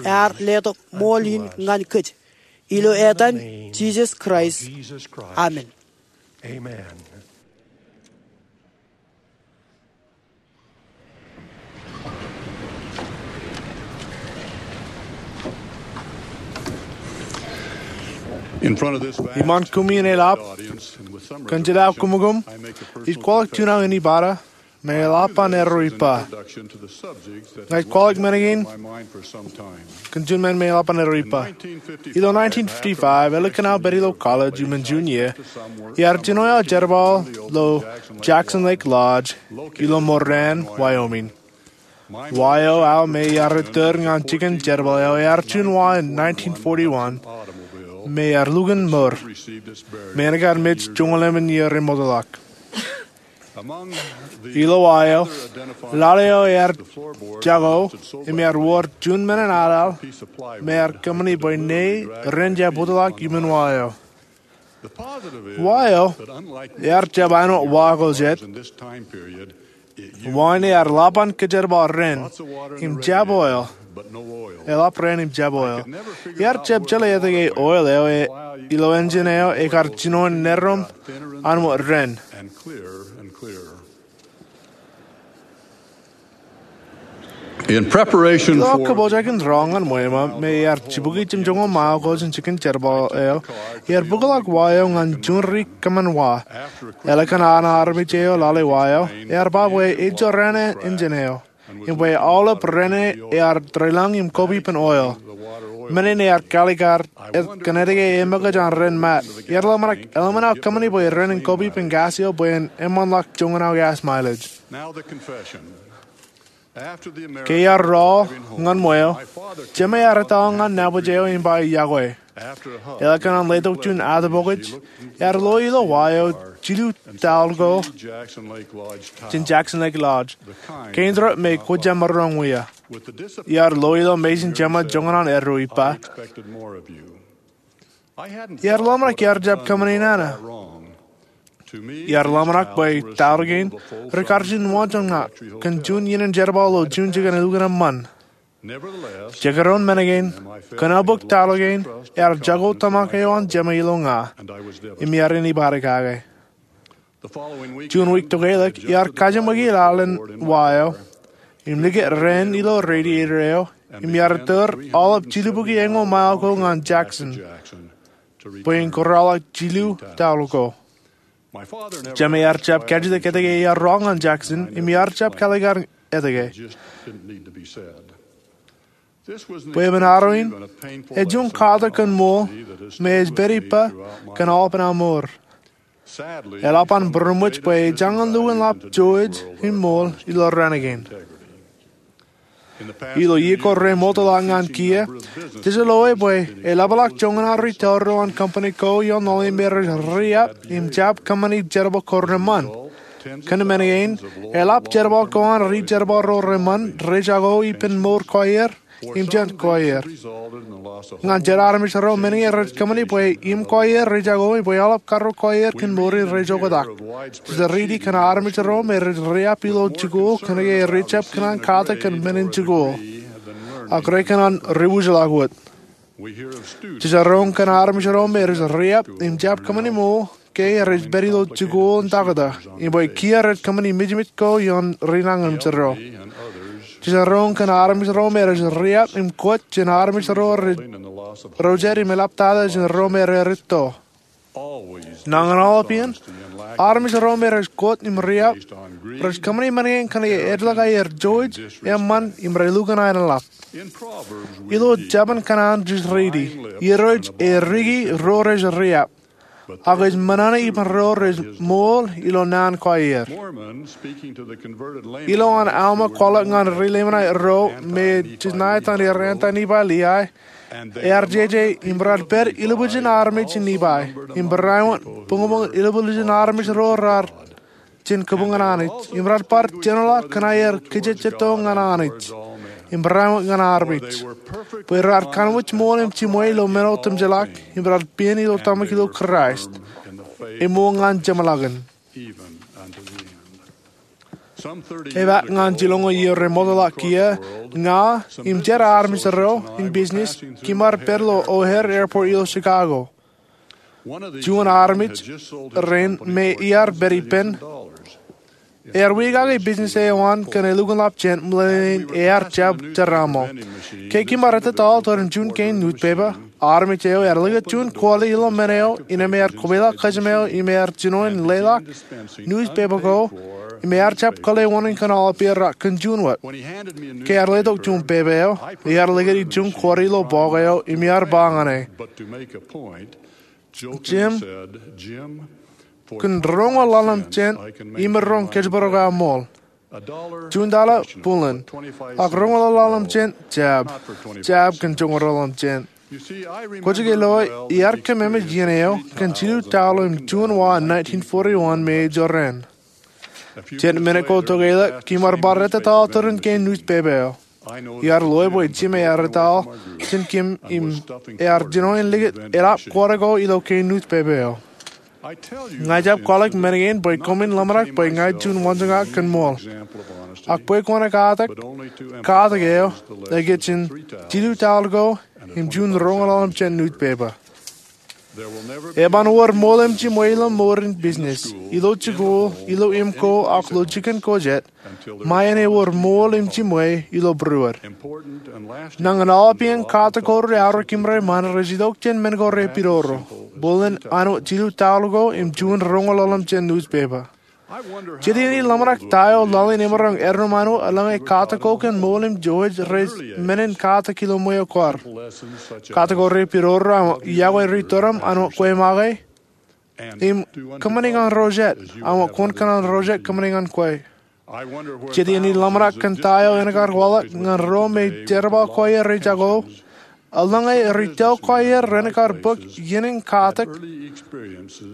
ear letok ṃool in ñan kōj. Ilo etan Jisōs Kraist, amen. Iṃaan koṃ iien eḷap, kōn jet aō kōṃṃan, ij kwaḷọk juon aō inibata, me eḷap an erreo ippa. Ña ij kwaḷọk men kein kōn juon men me eḷap an erreo ippa. Ilo nineteen fifty-five, ālikin aō pād ilo college iuṃwin junior, iar jino aō jerbal ilo Jackson Lake Lodge ilo Moran, Wyoming. Wa eo aō me iar ittōr ñan jikin jerbal eo ear juon wa in nineteen forty-one, me ear lukkuun mour, me en kar mej joñoul emān iiō remootḷọk. Ilo wa eo, lale eo ear jako, im ear wōr juon men in aḷaḷ, me ear kōṃṃani bwe ne ren jab bōtḷọk iuṃwin wa eo. Wa eo, ear jab āinwōt wa ko jet. Wa in ear ḷap an kōjerbal ren, im jab oil, eḷap ren im jab oil. Iar jab jeḷā etke oil eo e, ilo engine eo ekar jinoin nerom an wōt ren. In preparation Ilo for kōpoojakin rọọl ñan ṃweo eo me ear jibukwi jimjuonñoul mile ko jān jikin jerbal eo, ear bōkḷọk wa eo ñan juon ri kōṃṃan wa. Eḷap kōn an armej eo lale wa eo, ear ba bwe ejorrāān ijin eo im bwe aolep raan ear deḷọñ im koba ippān oil. Men in ear kaalikkar kōn etke eṃōkaj an raan mat. Ear ḷōmṇak eḷmānḷọk kōṃṃani bwe raan in koba ippān gas eo bwe en eṃṃanḷọk joñan aō gas mileage. Ke ear rọọl ñan ṃweo, jema ear etal ñan nabōj eo im ba yokwe. Eḷap kōn an letok juon atōpokōj, ear lo ilo wa eo jilu taḷ ko jān Jackson Lake Lodge, kein ro me kwōj jab maroñ wia. Ear lo ilo mejān jema joñan an erro im ba, ear ḷōmṇak iar jab kōṃṃani nana. Ear ḷōmṇak bwe taḷ kein rej kar juon waanjoñak kōn juon iien in jerbal ilo Juun jikin elukkuun eṃṃan. Jekdọọn men kein, kōnono bōk taḷ kein, ear jako tōmak eo an jema ilo ña, im iar āne bar kake. Juon wiik tokālik, ear kajeṃōki laḷ in wa eo im likūt raan ilo radiator eo, im ear tōr aolep jilubukwi eñoul mile ko ñan Jackson bwe en kōrọọlḷọk jilu taḷ ko. Jema ear jab kajjitōk etke ear rọọl ñan Jackson, im ear jab kaalikkar etke. Bwe emān arro in, ej juon katak kōn ṃool me ej pād ippa kōn aolepān aṃ mour. Eḷap an būroṃōj bwe ejañin lukkuun ḷap jouj im ṃool ilo raan kein. Ilo iiō ko remootḷọk ñan kiiō, jej loe bwe eḷapḷọk joñan an ri tōl ro an company ko ioon ḷọk me rej riab im jab kōṃṃani jerbal ko reṃṃan. Kōn men kein, eḷap jerbal ko an ri jerbal ro reṃṃan rej jako ippān mour ko aer im jān ko aer. Ñan jet armej ro men kein rej kōṃṃani bwe im ko aer rej jako im bwe aolep karreoik ko aer kōn mour in rej oktak. Jej riiti kōn armej ro me rej riab ilo jikuuḷ kōnke rej jab kōṇaan katak kōn men in jikuuḷ, ak rej kōṇaan ri wūjḷọk wōt. Jej roñ kōn armej ro me rej riab im jab kōṃṃani ṃool ke rej pād ilo jikuuḷ in taktō, im bwe kiiō rej kōṃṃani mijmij ko ioon ri nañinmej ro. Jej roñ kōn armej ro me rej riab im kwōj jān armej ro rej rojad im eḷaptata jān ro me rej rūtto. Nañin aolep iien, armej ro me rej kwōj im riab rej kōṃṃani men kein kōnke edlōñ aer jouj, eṃṃan, im relukkuun aenōḷap. Ilo Jabōn Kōṇaan jej riiti, Irooj ej riki ro rej riab, ak ej ṃōṇōṇō ippān ro rej ṃool ilo naan ko aer. Ilo an Alma kwaḷọk ñan ri Leimanite ro me jej ṇa etan errā an Nifai Liai, ear jeje, im rar pād ilubujin armej in Nifai, im barāinwōt buñbuñ ilubujin armej ro rar jān kabuñ an Anij, im rar bar jenoḷọk kōn aer kajejjeto ñan Anij im barāinwōt ñan armej, bwe rar kanooj ṃool im jiṃwe ilo men otemjeḷọk, im rar pād ilo tōmak ilo Kraist, eṃool ñan jeṃḷọkin. Epaak ñan jilñoul iiō remootḷọk kiiō, ña im jet armej ro in business, kimar pād ilo O'Hare Airport ilo Chicago. Juon armej rein me iar pād ippān ear wiakake business eo an kōn elukkuun ḷap jān ṃōṇōṇō in ear jab jeraaṃṃan. Ke kimar ettetaḷ tōre in juon kein newspaper, armej eo ear likūt juon kọọle ilo men eo innem ear kweilọk kōjām eo im ear jino in leḷọk newspaper ko, im ear jab kōḷḷe wōṇāān kōn aolep er ak kōn juon wōt. Ke ear letok juon pepa eo, ear likūt juon kọọle ilo bọọk eo im ear ba ñan e, Jim, kōn roñoul ḷalem jān, imaroñ kōjparok aō ṃool. Juon taḷa, buḷōn. Ak roñoul ḷalem jān, jab. Jab kōn joñoul ḷalem jān. Kwōj ke loe, iar kōmemej iien eo kōn jilu taḷ im juon wa nineteen forty-one me ejorrāān. Jet minit ko tokālik, kimar bar ettetaḷ tōre in kein newspaper eo. Iar loe bwe Jim ear ettetaḷ jān Kim im ear jino in likūt eḷap kọọle ko ilo kein newspaper eo. Ña ij jab kwaḷọk men kein bwe koṃwin ḷōmṇak bwe ña ij juon waanjoñak kōn ṃool. Ak bwe kwōn katak, katak eo, ej jān jilu taḷ ko im juon roñoul ḷalem jān newspaper. Eban wōr ṃool im jimwe ilo mour in business, ilo jikuuḷ, ilo im ko, ak ilo jikin ko jet, ṃae en ewōr ṃool im jimwe ilo būruod. Nañin aolep iien katak ko reaorōk im reṃṃan rej itok jān men ko repidodo, bōlen āinwōt jilu taul ko im juon roñoul ḷalem jān newspaper. Jet iien in ḷōmṇak ta eo laḷ in emaroñ erom āinwōt eḷaññe katak ko kōn ṃool im jimwe rej men in katak ilo ṃweo kwaar. Katak ko repidodo āinwōt yokwe rej tōrōṃ āinwōt kwe make, im kōṃṃani ñan ro jet āinwōt kwōn kōṇaan ro jet kōṃṃani ñan kwe. Jet iien in ḷōmṇak kōn ta eo en kar waḷọk ñan ro me jerbal ko aer rej jako, eḷaññe rej tōl ko aer ren kar bōk iien in katak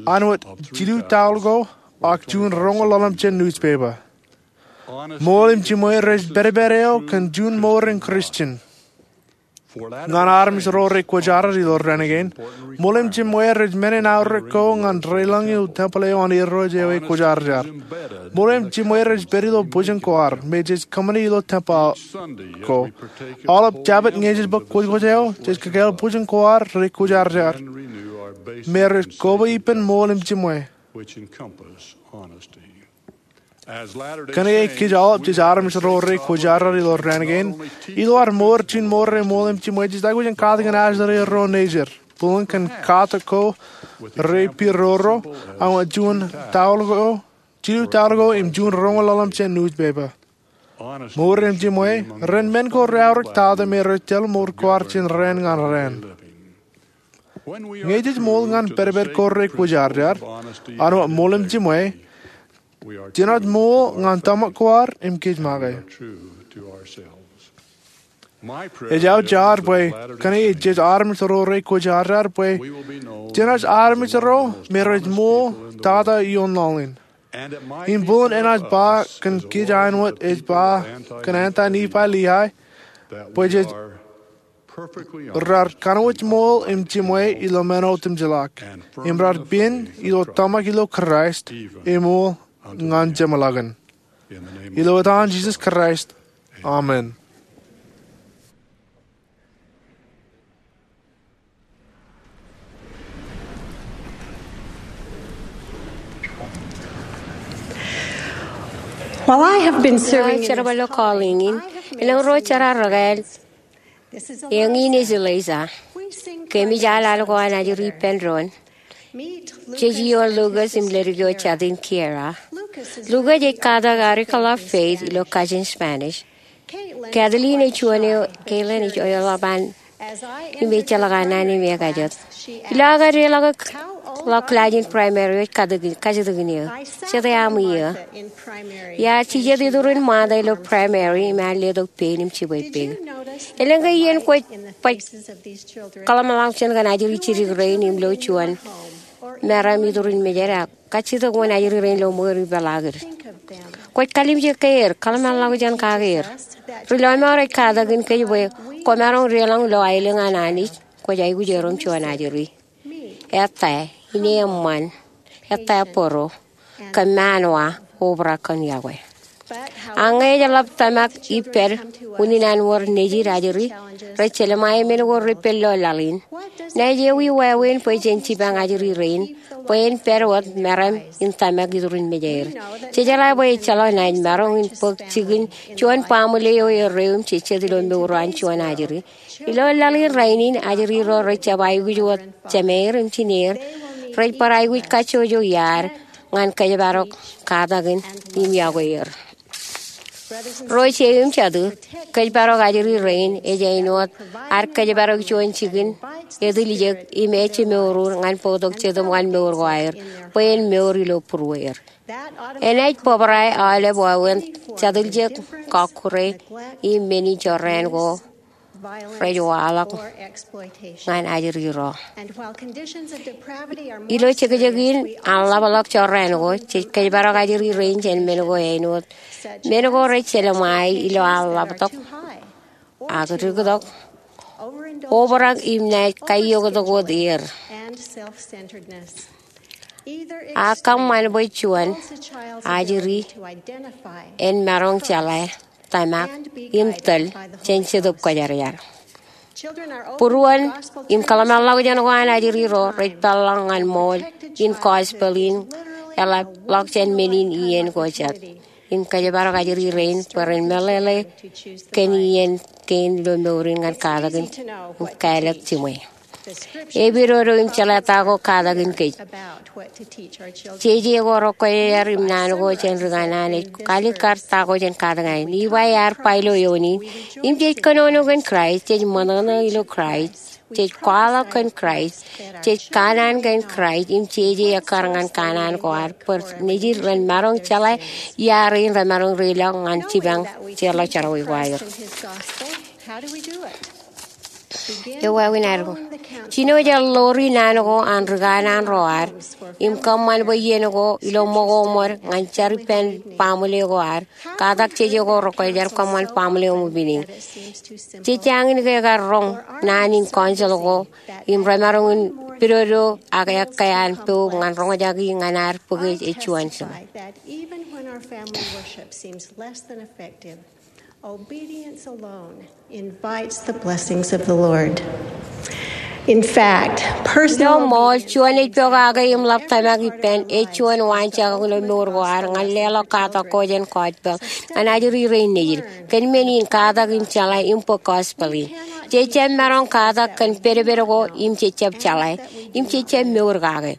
āinwōt jilu taul ko ak juon roñoul ḷalem jān newspaper. Ṃool im jimwe rej pedped eo kōn juon mour in Christian. Ñan armej ro rej kwōjarjar ilo raṇ kein, ṃool im jimwe rej men in aorōk ko ñan deḷọñ ilo tempeḷ eo an Irooj eo ekwōjarjar. Ṃool im jimwe rej pād ilo bwijin kwaar me jej kōṃṃani ilo tempeḷ ko. Aolep Jabōt ñe jej bōk kwōjkwōj eo, jej kakāāl bwijin kwaar rekwōjarjar me rej koba ippān ṃool im jimwe. Kōnke kōj aolep jej armej ro rekwōjarjar ilo raṇ kein, ilo ad mour juon mour eo ṃool im jimwe, jej aikuj in katakin ajri ro nejid, bōlen kōn katak ko repidodo āinwōt juon taul ko, jilu taul ko im juon roñoul ḷalem jān newspaper. Mour im jimwe ren men ko reaorōk tata me rej tōl mour kwaar jān raan ñan raan. Ñe jej ṃool ñan pedped ko rekwōjarjar āinwōt ṃool im jimwe, jenaaj ṃool ñan tōmak kwaar im kōj make. Ejja jar bwe kōnke jej armej ro rekwōjarjar bwe jenaaj armej ro me rej ṃool tata ioon laḷ in. Im bōlen enaaj ba kōn kōj āinwōt ej ba kōn Anti-Nephi-Lehi bwe jej rar kanooj ṃool im jimwe ilo men otemjeḷọk, im rar pād ilo tōmak ilo Kraist, im ṃool ñan jeṃḷọkin. Ilo etan Jisōs Kraist, amen. Well, I have been serving in this calling. Jerbal ilo calling in, elōñ ro jeraar rekāāl. Eñin ej Eliza. Kōmij al al ko an ajri ippān doon. Jej ioon Lucas im leddik eo jatin Kiera. Lucas ej katak Article of Faith ilo kajin Spanish. Kathleen ej juon eo, Caitlin ej eo eḷap an im ejjeḷọk an naan im ekajet. Ilo aō kadeḷọk ḷọk kilaaj in primary eo, ej kajjitōk in eō, jete aṃ iiō? Iar jijet iturin ṃaanḷọk ilo primary im ear letok pein im jibwe pād. Elōñ ke iien kwōj baj kōḷmānḷọkjeṇ kōn ajri jidik rein im lo juon meram iturin mejed ak kajjitōk wōn ajri rein lo ṃweier ipeḷaakid? Kwōj kalimjek ke er, kōḷmānḷọkjeṇ kake er. Ri lọmọọr ej katakin kōj bwe kwōmaroñ deḷọñ ilo aelōñ an Anij, kwōj aikuj erom juon ajri. Ettā, ine eṃṃan, ettā bōro, kōmmaanwa, obrak kōn yokwe. Ak ñe ej ḷap tōmak ippād unin an wōr nejid ajri, rej jelṃae men ko repen ilo laḷ in, ñe ej ewi wāween bwe jen jipañ ajri rein bwe en pād wōt meram im tōmak iturin mejeir? Jej jeḷā bwe ejjeḷọk naaj maroñ in bōk jikin juon baaṃle eo erreeṃ jejjet ilo mour eo an juon ajri. Ilo laḷ in rainin, ajri ro rej jab aikuj wōt jemeir im jineer, rej bar aikuj kajjojo iaad ñan kōjparok katakin im yokwe er. Ro jet im jatū, kōjparok ajri rein ej āinwōt ad kōjparok juon jikin etiljek im ejjemour ñan bōktok Jetōb ñan mour ko aer bwe en mour ilo būrueir. Enaaj bōbrae aolep wāween jatiljek, kọkkure, im men in jorrāān ko rej waḷọk ñan ajri ro. Ilo jekjek in an ḷapḷọk jorrāān ko, jej kōjparok ajri rein jān men ko āinwōt men ko rej jelṃae ilo an ḷaptok, ak diktok, obrak im naaj kaioktok wōt er. Ak kōṃṃan bwe juon ajri en maroñ jeḷā, tōmak, im tōl jān Jetōb Kwōjarjar. Būruon im kōḷmānḷọkjeṇ ko an ajri ro rej peḷḷọk ñan ṃool in gospel in eḷapḷọk jān men in iien ko jet. Im kōjparok ajri rein bwe ren meḷeḷe kōn iien kein ilo mour in ñan katak in kālọk jiṃwe. Epidodo im jeḷā ta ko katakin kōj. Jeje ko rekwōjarjar im naan ko jān ri kanaan ej kalikkar ta ko jen katakin. Libai ear ba ilo eoon in, im jej kōnono kōn Kraist, jej ṃōṇōṇō ilo Kraist, jej kwaḷọk kōn Kraist, jej kanaan kōn Kraist, im jeje ekkar ñan kanaan ko ad bwe nejid ren maroñ jeḷā iaar in remaroñ reiḷọk ñan jipañ jeorḷọk jerọwiwi ko aer. Eo wāween ad ko. Jino jej ḷoori naan ko an ri kanaan ro ad im kōṃṃan bwe iien ko ilo ṃōko ṃōd ñan jar ippān baaṃle ko ad. Katak jeje ko rekwōjarjar kōṃṃan baaṃle eo ṃōk pining. Jej jañin ke ekar roñ naan in council ko im remaroñ in pidodo ak ekkā an poub ñan roñjake ñan ad bōk ej juon jiṃwe. Obedience alone invites the blessings of the Lord. In fact, personal Ilo ṃool, juon ej pokake im ḷap tōmak ippān, ej juon waanjakōk ilo mour ko ad ñan leḷọk katak ko jān gospel ñan ajri rein nejid. Kōn men in katak im jeḷā im bōk gospel in. Jej jab maroñ katak kōn pedped ko im jej jab jeḷā im jej jab mour kake.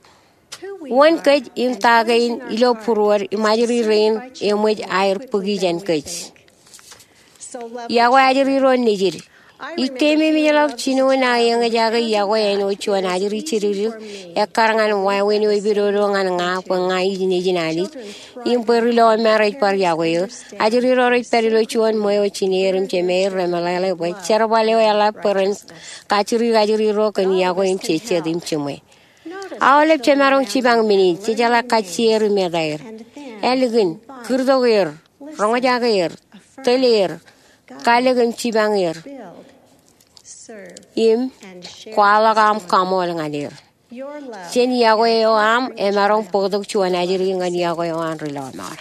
Wōn kōj im ta kein ilo būruod im ajri rein eṃōj aer bōki jān kōj? Yokwe ajri ro nejid. Ij keememejḷọk jino naaj eñjake yokwe āinwōt juon ajri jidikdik ekkar ñan wāween eo epidodo ñan ña bwe ña ij nejin Anij im bwe ri lọmọọr rej bar yokwe eō. Ajri ro rej pād ilo juon ṃweo jineer im jemeir remeḷeḷe bwe jerbal eo eḷap bwe ren kajjirjik ajri ro kōn yokwe im jejjet im jiṃwe. Aolep jemaroñ jipañ men in, jejeḷā kajjier im etaer. Ālikin, kūrtok er, roñjake er, tōl er, kalōk im jipañ er, im kwaḷọk aṃ kaṃool ñan er. Jān yokwe eo aṃ emaroñ bōktok juon ajri ñan yokwe eo an ri lọmọọr.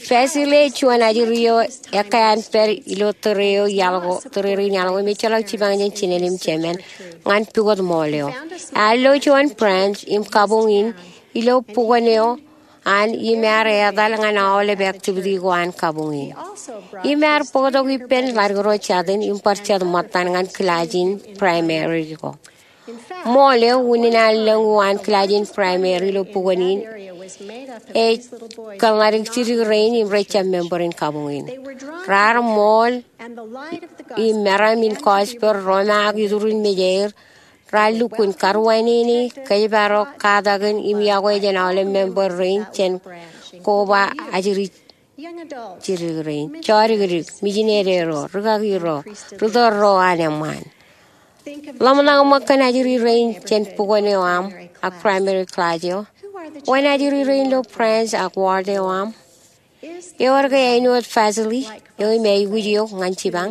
Basile ej juon ajri eo ekkā an pād ilo tōre eo iaḷ ko, tōre rein iaḷ ko, im ejjeḷọk jipañ jān jined im jemān ñan pukot ṃool eo. Ear lo juon branch im kabuñ in ilo bukwōn eo an im ear etal ñan aolep activity ko an kabuñ in. Im ear bōktok ippān ḷaddik ro jatin im bar jet ṃōttan ñan kilaaj in primary ko. Ṃool eo unin an lōñ uwaan kilaaj in primary ilo bukwōn in ej kōn ḷaddik jidik rein im rej jab member in kabuñ in. Raar ṃool im meram in gospel, romaak iturin mejeir, raar lukkuun karuwainene, kōjparok, katakin im yokwe jān aolep member rein jān koba ajri jidik rein, jodikdik, mijinede ro, rikaki ro, ritōl ro an eṃṃaan. Ḷōmṇak ṃōk kōn ajri rein jān bukwōn eo aṃ ak primary class eo. Wāween ajri rein ilo branch ak ward eo aṃ. Ewōr ke āinwōt Vasily eo im aikuj eok ñan jipañ?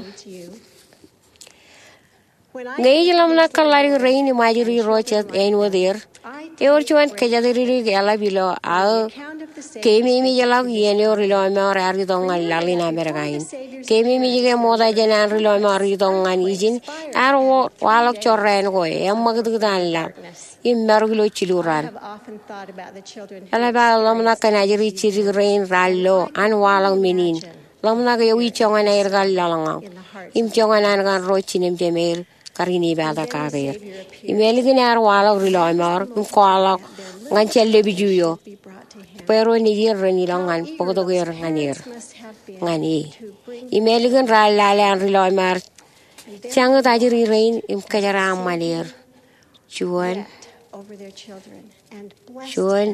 Ñe ij ḷōmṇak kōn ḷaddik rein im ajri ro jet āinwōt er, ewōr juon kōjatdikdik eḷap ilo aō keememejḷọk iien eo ri lọmọọr ear itok ñan laḷ in Amerika in. Keememej ke ṃokta jān an ri lọmọọr itok ñan ijin, ear waḷọk jorrāān ko, eṃṃakūtkūt an laḷ im marok ilo jilu raan. Eḷap aō ḷōmṇak kōn ajri jidik rein raar lo an waḷọk men in. Ḷōmṇak ewi joñan aer kar laḷñọñ im joñan an kar ro jinem jemeir kar inepata kake er. Im ālikin ear waḷọk ri lọmọọr im kwaḷọk ñan jān lepiju eo bwe ro nejid ren ilọk ñan bōktok er ñan er, ñan e. Im ālikin raar lale an ri lọmọọr jañūt ajri rein im kōjeraaṃṃan er juon, juon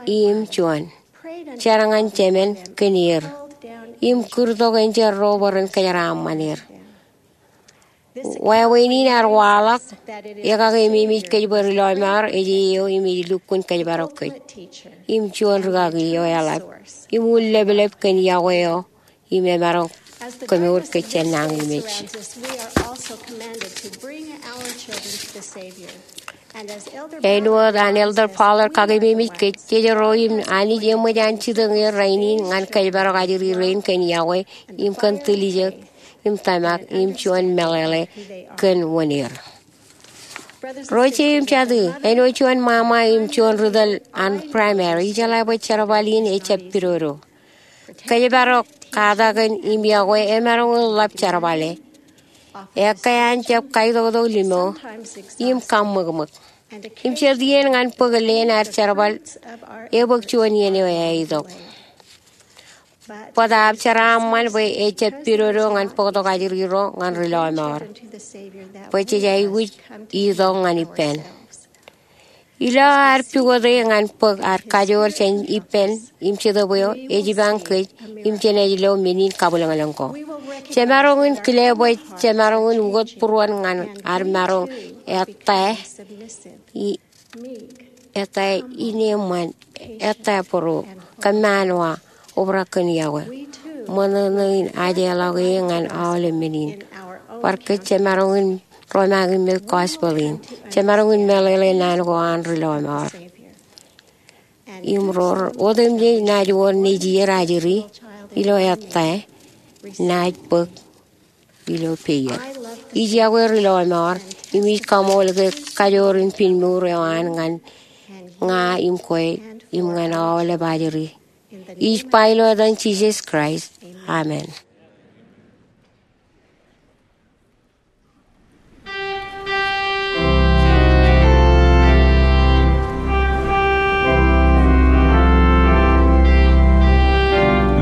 im juon. Jar ñan jemān kōn er im kūrtok enjeḷ ro bwe ren kōjeraaṃṃan er. Wāween in ear waḷọk, ekake ememej kōj bwe ri lọmọọr ej eo im ej lukkuun kōjparok kōj. Im juon rikaki eo eḷap im un leplep kōn yokwe eo im emaroñ kemour kōj jān nañinmej. Āinwōt an Elder Pollard kakeememej kōj, jej ro im Anij eṃōj an jitōñ er rainin ñan kōjparok ajri rein kōn yokwe im kōn tiljek im tōmak im juon meḷeḷe kōn wōn er. Ro ije im jatū, āinwōt juon ṃaṃa im juon ri tōl an primary, ijeḷā bwe jerbal in ejjab pidodo. Kōjparok, katakin im iọkwe emaroñ in ḷap jerbale. Ekkā an jab kaitoktok limo im kaṃṃōkṃōk. Im jet iien ñan bōk leen ad jerbal, ebōk juon iien eo ej itok. Bōtaab jeraaṃṃan bwe ejjab pidodo ñan bōktok ajri ro ñan ri lọmọọr, bwe jej aikuj itok ñan ippān. Ilo ad pukot e ñan bōk ad kajoor jān ippān im Jetōb eo, ej ibañ kōj im jenaaj lo men in kabwilōñlōñ ko. Jemaroñ in kile bwe jemaroñ in ukōt būruon ñan ad maroñ ettā i ettā ineeṃṃan, ettā bōro, kōmmaanwa, obrak kōn iọkwe. Ṃōṇōṇō in ajeḷọk e ñan aolep men in. Bar kōj jemaroñ in romaak im mej gospel in. Jemaroñ in meḷeḷe naan ko an ri lọmọọr. Im ro otemjej naaj wōr nejier ajri ilo ettā, naaj bōk ilo peier. Ij iọkwe ri lọmọọr, im ij kaṃool ke kajoor in pinmour eo an ñan ña im kwe im ñan aolep ajri. Ij ba ilo etan Jisōs Kraist. Amen.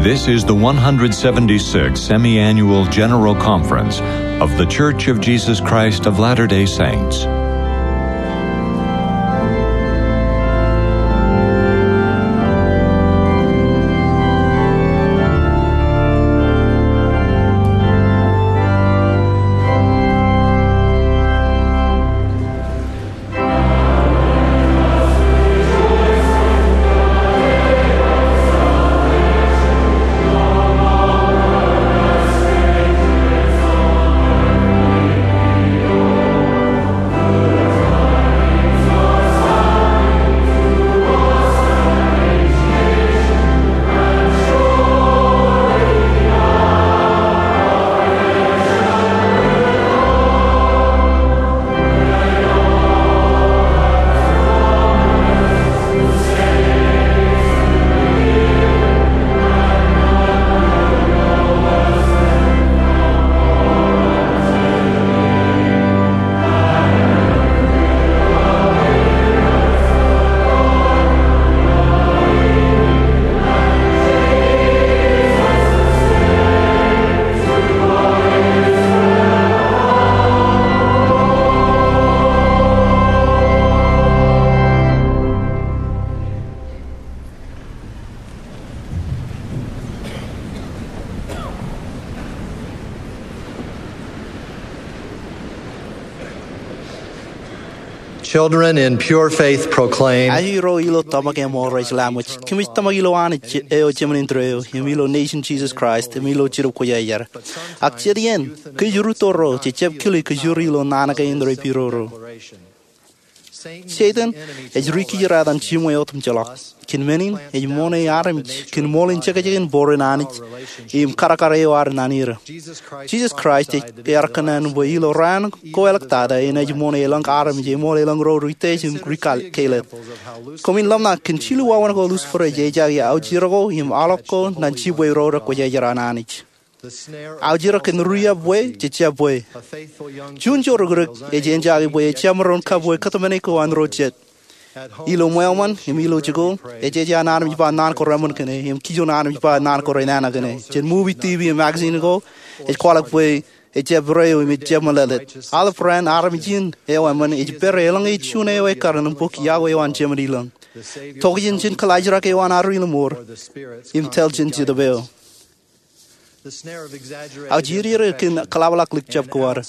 This is the one hundred seventy-sixth Semi-Annual General Conference of The Church of Jesus Christ of Latter-day Saints. Children in pure faith proclaim. Ajri ro ilo tōmak eṃool rej lewōj, kōmij tōmak ilo Anij eo Jemān Indeeo, im ilo nejin Jisōs Kraist, im ilo Jetōb Kwōjarjar. Ak jet iien, kōj rūtto ro, jejjab kile kōjro ilo naan kein repidodo. Setan ej ri kijirāt an jiṃwe otemjeḷọk. Kōn men in, ej ṃoṇe armej kōn ṃool in jekjekin bōro in Anij im kōrakar eo ad naan er. Jisōs Kraist ej ear kōṇaan bwe ilo raan ko āliktata enaaj ṃoṇe elōñ armej eṃool elōñ ro ri tej im ri kal-, kailōt. Koṃwin ḷōmṇak kōn jilu wāween ko Lucifer ej ejaake aujirōk ko im aolep ko ñan jibwe ro rekwōjarjar an Anij. Aujirōk kōn ri-epwe jejjab bwe. Juon jorukrik ej ejaake bwe ejjab maroñ kabwe kōtmāne ko an ro jet. Ilo ṃweo ṃōn im ilo jikuuḷ, ej ej an armej ba naan ko reṃōn kōn e, im kijoñ armej ba naan ko renana kōn e. Jān movie, T V, im magazine ko, ej kwaḷọk bwe ejjab reo im ejjab meḷeḷe. Aolep raan armej in eo eṃṃan ej pād elōñ ej juon eo ekkar im bōk iọkwe eo an Jemān ilōñ. Tokjān jān kōḷaajrak eo an ad ri lọmọọr im tōl jān Jetōb eo. Aujirere kōn kōḷapḷọk lik jab ko ad.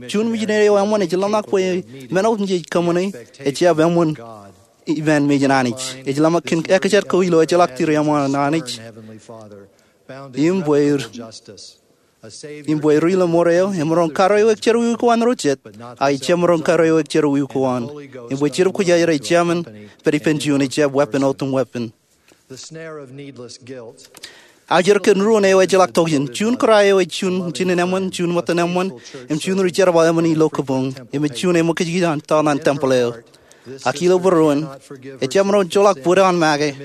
Juon mijinede eo eṃṃan ej ḷōmṇak bwe men otemjej kōṃṃane ejjab eṃṃan iṃaan mejān Anij. Ej ḷōmṇak kōn ekkā jet ko ilo ejjeḷọk Direṃṃan an Anij. Im bwe, im bwe ri lọmọọr eo emaroñ karuwaiwōj jerọwiwi ko an ro jet, ak ejjab maroñ karuwaiwōj jerọwiwi ko an. Im bwe Jetōb Kwōjarjar ejjab men pād ippān juon, ejjab weeppān otem weeppān. Aujere kōn ruōn eo ejjeḷọk tokjān. Juun kōrā eo ej juon jinen eṃṃan, juon ṃōttan eṃṃan, im juon ri jerbal eṃṃan ilo kōpoñ, im ej juon eṃōkajkij an tọọr ñan tempel eo. Ak ilo būruon, ejjab maroñ joḷọk bōd eo an make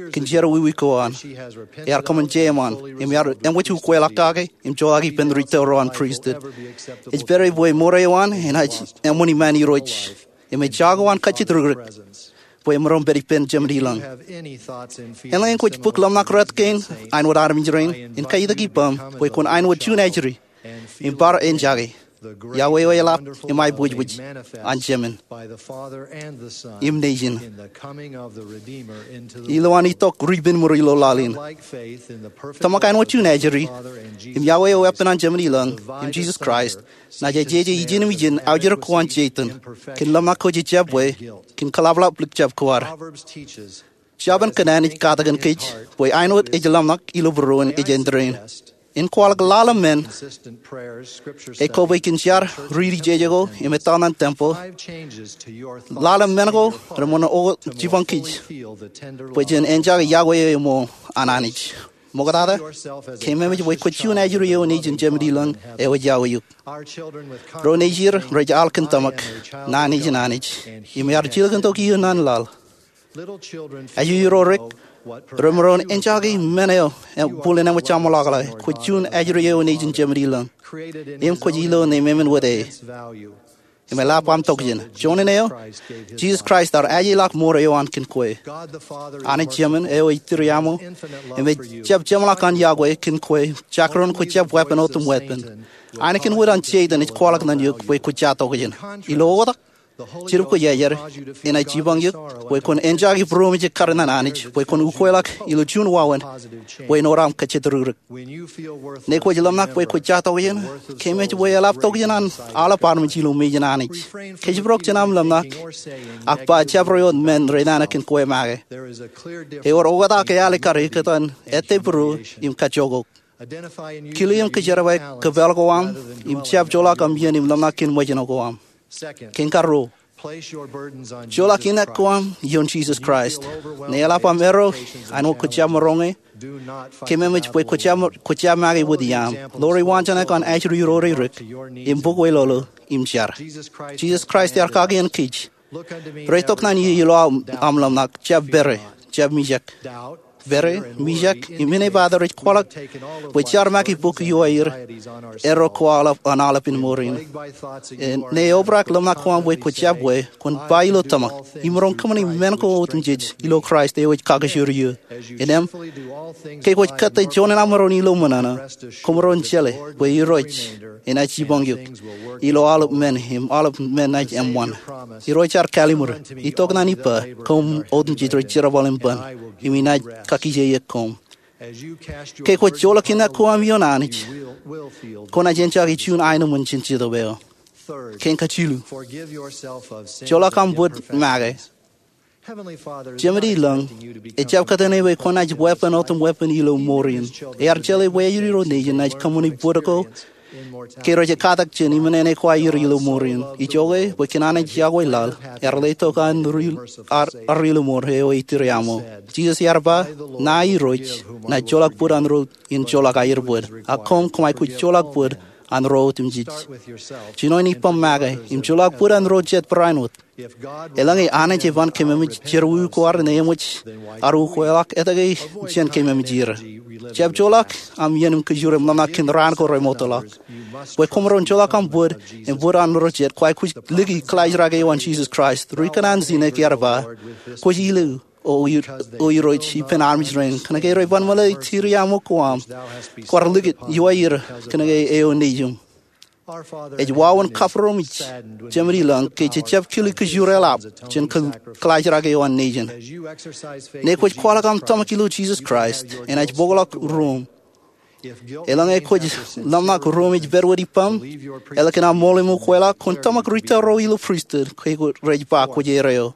kōn jerọwiwi ko an. Ear kōṃṃan jeiṃṃan, im ear eṃōj ukweḷọk kake im joḷọk ippān ri tōre eo an pristut. Ej pād ie bwe mour eo an enaaj eṃṃan iṃaan Irooj, im ej jako an kajjitōk ri-kūrōk bwe emaroñ pād ippān Jemān ilañ. Eḷaññe kwōj bōk ḷōmṇak rot kein, āinwōt armej rein, in kautōk ippaṃ bwe kwōn āinwōt juon ajri im bar enjake Yahweh eo eḷap im aiboojoj an Jemān im Nejin. Ilowaan itok ri-penmūr ilo laḷ in, tōmak āinwōt juon ajri im Yahweh eo weeppān an Jemān ilañ im Jisōs Kraist, naaj ejeje ijin im ijin aujere ko an Seitan kōn ḷōmṇak ko jejjab bwe, kōn kōḷapḷọk likjab ko ad. Jabōn Kōnnaan ej katakin kōj bwe āinwōt ej ḷōmṇak ilo būruon ej āindein in kwaḷọk lale men, ekobwe kōn jar riiti jeje ko im ettā ñan tempel. Lale men ko reṃōn oktak jipañ kōj bwe jen enjake Yahweh eo eṃool an Anij. Ṃoktata, keememej bwe kwōj juon ajri eo nejin Jemān ilañ eo ej Yahweh eok. Ro nejid rej al kōn tōmak, ña nejin Anij, im ear jilkintok iiō ñan laḷ. Ajri ro rik remaroñ enjake men eo bōlen eṃōj aṃ ḷọkḷọke. Kwōj juon ajri eo nejin Jemān ilañ, im kwōj ilo nemāmein wōt e. Im eḷap aṃ tokjān. Joñan eo, Jisōs Kraist ear ajeḷọk mour eo an kōn kwe. Anij Jemān eo ej tūriaṃo im ejjab jeṃḷọk an Yahweh kōn kwe, jakrōn kwōjjab weeppān otemweeppān. Ainikien wōt an Seitan ej kwaḷọk ñan eok bwe kwōj ja tokjān. Ilo oktak, Jetōb Kwōjarjar enaaj jipañ eok bwe kwōn enjake būroṃōj ekkar ñan Anij bwe kwōn ukweḷọk ilo juon wāween bwe en wōr aṃ kajjitōk ri-kūrōk. Ñe kwōj ḷōmṇak bwe kwōj ja tokjān, keememej bwe eḷap tokjān an aolep armej ilo mejān Anij. Kōjparok jān aṃ ḷōmṇak, ak ba jabdewōt men rej nana kōn kwe make. Ewōr oktak ealikkar ekkōtan ettebūruō im kajjookok. Kile im kōjerbale kōpeḷ ko aṃ im jab joḷọk aṃ iien im ḷōmṇak kōn ṃōjṇọ ko aṃ. Kein karuo, joḷọk inek ko aṃ ioon Jisōs Kraist. Ñe eḷap aṃ erro āinwōt kwōjjab maroñ e, keememej bwe kwōjjab make wōt iaam. Ḷoor iwaanjoñak an ajri ro rej rik im bōk weḷoḷo im jar. Jisōs Kraist ear kakien kōj, reitok ñan ie ilo aṃ ḷōmṇak, jab pere, jab mijak. Pere, mijak, im inepata rej kwaḷọk bwe jar make bōk iowaer erro ko aolep an aolepān mour in. Ñe eobrak ḷōmṇak ko aṃ bwe kwōjjab bwe, kwōn ba ilo tōmak, imaroñ kōṃṃani men ko otemjej ilo Kraist eo ej kakkōjro eō. Innām, ke kwōj kōttāik juon aṃ maroñ ilo ṃōṇōṇō, kwōmaroñ jeḷā bwe Irooj enaaj jipañ eok ilo aolep men im aolep men enaaj eṃṃan. Irooj ear kallimur, itok ñan ippa, koṃ otemjej rej jerbal im ban, im inaaj kakkije eok koṃ. Ke kwōj joḷọk inek ko aṃ ioon Anij, kwōnaaj enjake juon aenōṃṃan jān Jetōb eo. Kein kajilu, joḷọk aṃ bōd make. Jemān ilañ ejjab kōtene bwe kwōnaaj weeppān otemweeppān ilo mour in. Ear jeḷā bwe ajri ro nejin enaaj kōṃṃani bōd ko ke rej katak jān iṃōṇōṇō ko aer ilo mour in. Ijoke, bwe kōn Anij Yahweh laḷ, ear letok an armej ilo mour eo ej tūriaṃo. Jisōs ear ba, ña Irooj, ña joḷọk bōd an ro in joḷọk aer bōd, ak koṃ, koṃij kwōj joḷọk bōd an ro otemjej. Jinoin ippaṃ make, im joḷọk bōd an ro jet barāinwōt. Eḷaññe Anij eban kōmemej jerọwiwi ko ad ñe eṃōj ad ukweḷọk, etke jen kōmemej er? Jab joḷọk aṃ iien im kōjro im ḷōmṇak kōn raan ko remootḷọk. Bwe kwōmaroñ joḷọk aṃ bōd im bōd an ro jet, kwaar kwōj liki kōḷaajrake eo an Jisōs Kraist. Ri-kōnnaan Sinek ear ba, kwōj ilo, O Irooj, ippān armej rein, kōnke rej ban meḷeḷe tūriaṃo ko aṃ. Kwaar likūt iowaer kōnke eo nejiṃ. Ej wāween kabūroṃōj Jemān ilañ ke jejjab kile kōjro eḷap jān kōḷaajrake eo an nejin. Ñe kwōj kwaḷọk aṃ tōmak ilo Jisōs Kraist, enaaj bōkḷọk ruōṃ. Eḷaññe kwōj ḷōmṇak ruōṃ ej pād wōt ippaṃ, eḷak in aṃ ṃool im ukweḷọk, kwōn tōmak ri tōre ro ilo pristut ke rej ba kwōj erreo.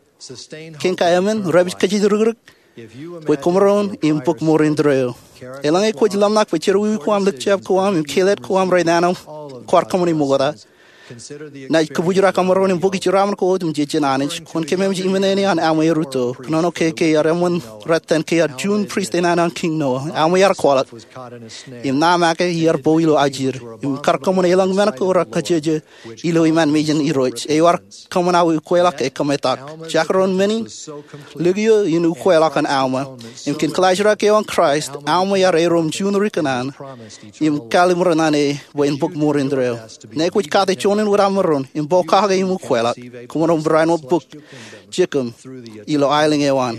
Kein kaemān, rej kajjitōk ri-kūrōk bwe kwōmaroñ im bōk mour indeeo. Eḷaññe kwōj ḷōmṇak bwe jerọwiwi ko aṃ, likjab ko aṃ, im kelet ko aṃ rej nana aṃ kwaar kōṃṃani ṃokta, Naaj kōbūjrak kōṃro in bōk jeraaṃṃan ko otemjej jān Anij. Kwōn kememej iminene an aṃ erūtto. Kōnono ke ke ear eṃṃan rōtan ke ear juon priest eo an Kiiñ Noah. Aṃ ear kwaḷọk im ṇa make ear bo ilo ajir im kar kōṃṃan elōñ men ko raar kajjojo ilo iṃaan mejān Irooj. Eo ear kōṃṃan aō ukweḷọk e kōmetak. Jekdọọn men in likio in ukweḷọk an Alma. Im kōn kaḷajrak eo an Kraist, Alma ear erom juon ri kōṇaan im kallimur ṇe bwe en bōk mour indeeo. Ñe kwōj kate juon in wōt aṃ maroñ im pokake im ukweḷọk, koṃ maroñ barāinwōt bōk jekōṃ ilo aelōñ eo an,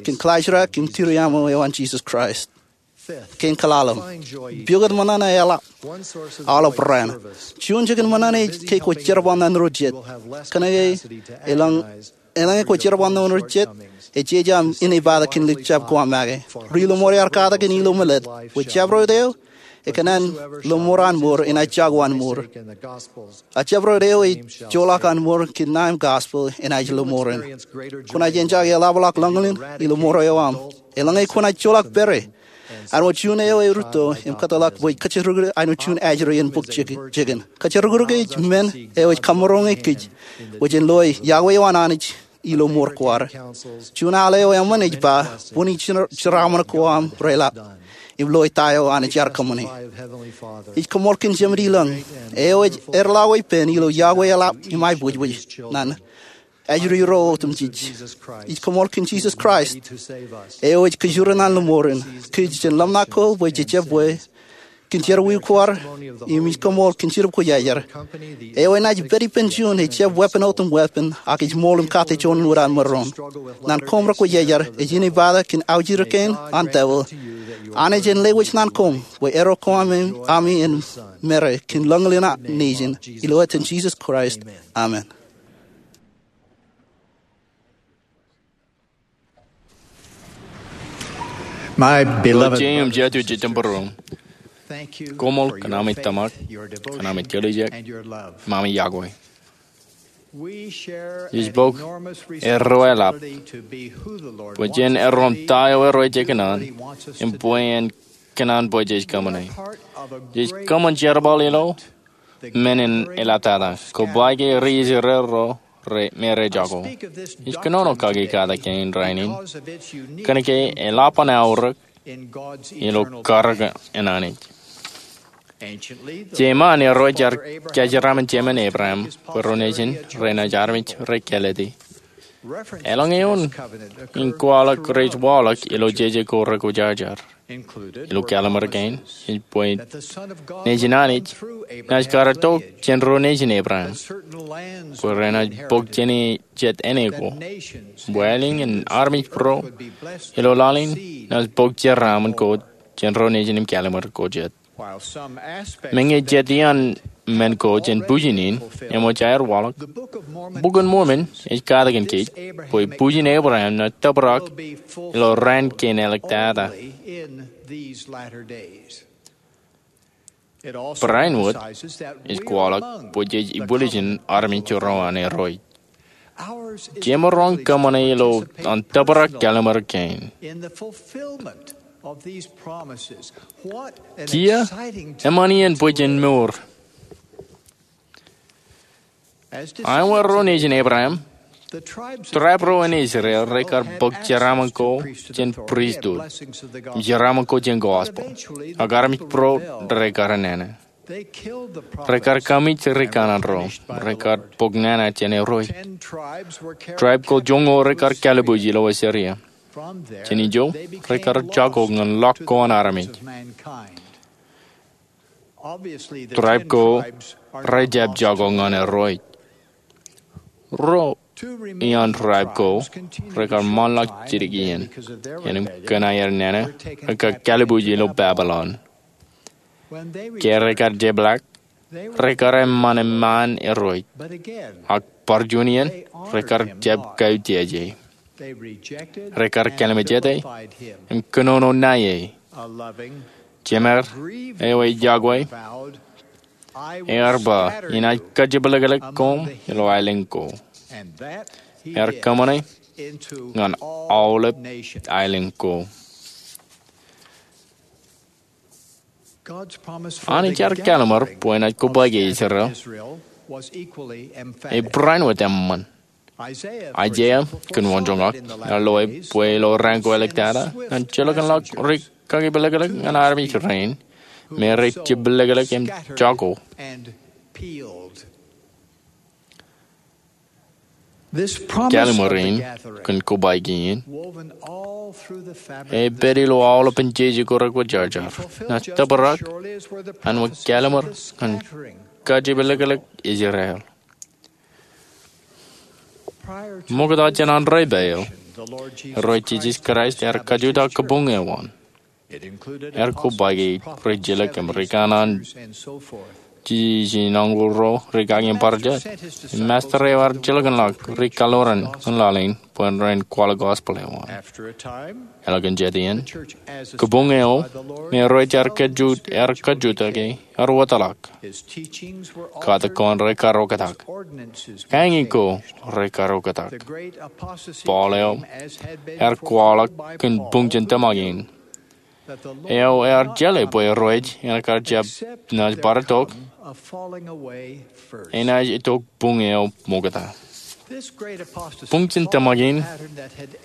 kōn kaḷajrak im tiriaṃo eo an Jisōs Kraist. Kein kwaḷaḷ, pukot ṃōṇōṇō eḷap aolep raan. Juon jikin ṃōṇōṇō ej ke kwōj jerbal ñan ro jet. Kōnke eḷaññe, eḷaññe kwōj jerbal ñan ro jet, ejjeḷọk aṃ inepata kōn ḷọk jab ko aṃ make. Ri-lọmọọr ear katakin ilo meḷeḷe bwe jabdewōt eo ekōṇaan lọmọọr an mour enaaj jako an mour. A jabdewōt eo ej joḷọk an mour kōn ṇa im gospel enaaj lọmọọren. Kwōnaaj enjoy eḷapḷọk lọñlọñ ilo mour eo aṃ. Eḷaññe kwōnaaj joḷọk pere, āinwōt juon eo erūtto im kōtḷọk bwe kōjjirukūr āinwōt juon ajri in bōk jekōn. Kōjjirukūr ej men eo ej kōmmaroñe kōj bwe jen loe iọkwe eo an Anij ilo mour ko ad. Juon al eo eṃṃan ej ba, bwini jeraaṃṃan ko aṃ reḷap im loe ta eo Anij ear kōṃṃane. Ij koṃṃool kōn Jemedilōñ, eo ej erḷọk epen ilo iọkwe eḷap im aiboojoj ñan ajri ro otemjej. Ij koṃṃool kōn Jisōs Kraist, eo ej kōjro ñan lọmọọren kōj jān ḷōmṇak ko bwe jejjab bwe kōn jerọwiwi ko ad, im ij koṃṃool kōn Jetōb Kwōjarjar, eo enaaj pād ippān juon ejjab weeppān otemweeppān ak ej ṃool im kate juon wōt an maroñ. Ñan koṃ rekwōjarjar, ej inepata kōn aujirōk kein an devil. Anij en lewōj ñan koṃ bwe eddo ko ami en mare kōn lọñlọñ an nejin. Ilo etan Jisōs Kraist, amen. Ro jet im jatū jej jitōnbōro, koṃṃool kōn ami tōmak, kōn ami kōlijek, im ami iọkwe. Ij bōk erro eḷap bwe jen erro im ta eo Irooj ekōṇaan im bwe en kōṇaan bwe jej kōṃṃane. Jej kōṃṃan jerbal ilo men in eḷap tata, kobaik ke ri Israel ro me rej jako. Ij kōnono kaki katak kein rainin kōnke eḷap an aorōk ilo karōk an Anij. Jeṃaan Irooj ear kōjeraaṃṃan jemān Ebream bwe ro nejin renaaj armej rej kālōte. Eḷaññe eoon in kwaḷọk rej waḷọk ilo jeje ko rekwōjarjar ilo Kallim̧ur kein, ej bwe Nejin Anij naaj kar itok jān ro nejin Ebream bwe renaaj bōk jān jet āne ko, bwe aelōñ in armej būruō ilo laḷ in naaj bōk jeraaṃṃan ko jān ro nejin im kallim̧ur ko jet. Meñe jet iaan men ko jān bwijin in eṃōj aer waḷọk, Bok in Mormon ej katakin kōj bwe bwijin Ebream naaj tōprak ilo raan kein āliktata. Barāinwōt ej kwaḷọk bwe jej ibwiljin armej ro an Irooj. Jemaroñ kōṃṃane ilo an tōprak kallim̧ur kein. Kiiō eṃṃan iien bwe jen mour! Āinwōt ro nejin Ebream, tribe ro an Israel rekar bōk jeraaṃṃan ko jān pristut im jeraaṃṃan ko jān gospel, ak armej būruō rekar nana. Rekar kaṃij ri kanaan ro, rekar bōk nana jān Irooj. Tribe ko joñoul rekar kalbuuj ilo Asiria. Jān ijo, rekar jako ñan ḷọk ko an armej. Tribe ko rejjab jako ñan Irooj. Ruo iaan tribe ko rekar ṃaanḷọk jidik iien, im kōn aer nana rekar kalbuuj ilo Babilon. Ke rekar jepḷaak, rekar eṃṃan eṃṃaan Irooj, ak bar juon iien rekar jab kautiej e. Rekar kallim̧ur jete im kōnono ṇae e. Jemed eo ej iọkwe ear ba, Inaaj kajjepḷaakḷọk koṃ ilo aelōñ ko. Ear kōṃṃane ñan aolep aelōñ ko. Anij ear kallim̧ur bwe enaaj kobaik Israel Ebraan wōt eṃṃan. Aiseia kōn wōnjoñak ear lewōj bwe ilo raan ko āliktata ñan jilkinḷọk ri kakipelekḷọk ñan armej rein me rej jepelekḷọk im jako. Kallim̧ur in kōn kobaiki in epād ilo aolepān jeje ko rekwōjarjar naaj tōprak an wōt kallim̧ur ñan kajepelekḷọk Israel. Ṃokta jān an rej pād eo, Irooj Jisōs Kraist ear kajutak kabuñ eo an. Ear kobaiki ri jilkinḷọk im ri kanaan jeje in añkul ro, ri kaki im bar jet. Im Masta eo ear jilkinḷọk ri kaḷoran kōn laḷ in bwe ren kwaḷọk gospel eo an. Eḷap kōn jet iien, kabuñ eo me Irooj ear kajutak ear wōtlọk. Katak ko an rej karooktak. Kañin ko rej karooktak. Paul eo ear kwaḷọk kōn buñ jān tōmak in, eo ear jeḷā bwe Irooj enaaj kar jab naaj bar itok, enaaj itok buñ eo ṃokta. Buñ jān tōmak in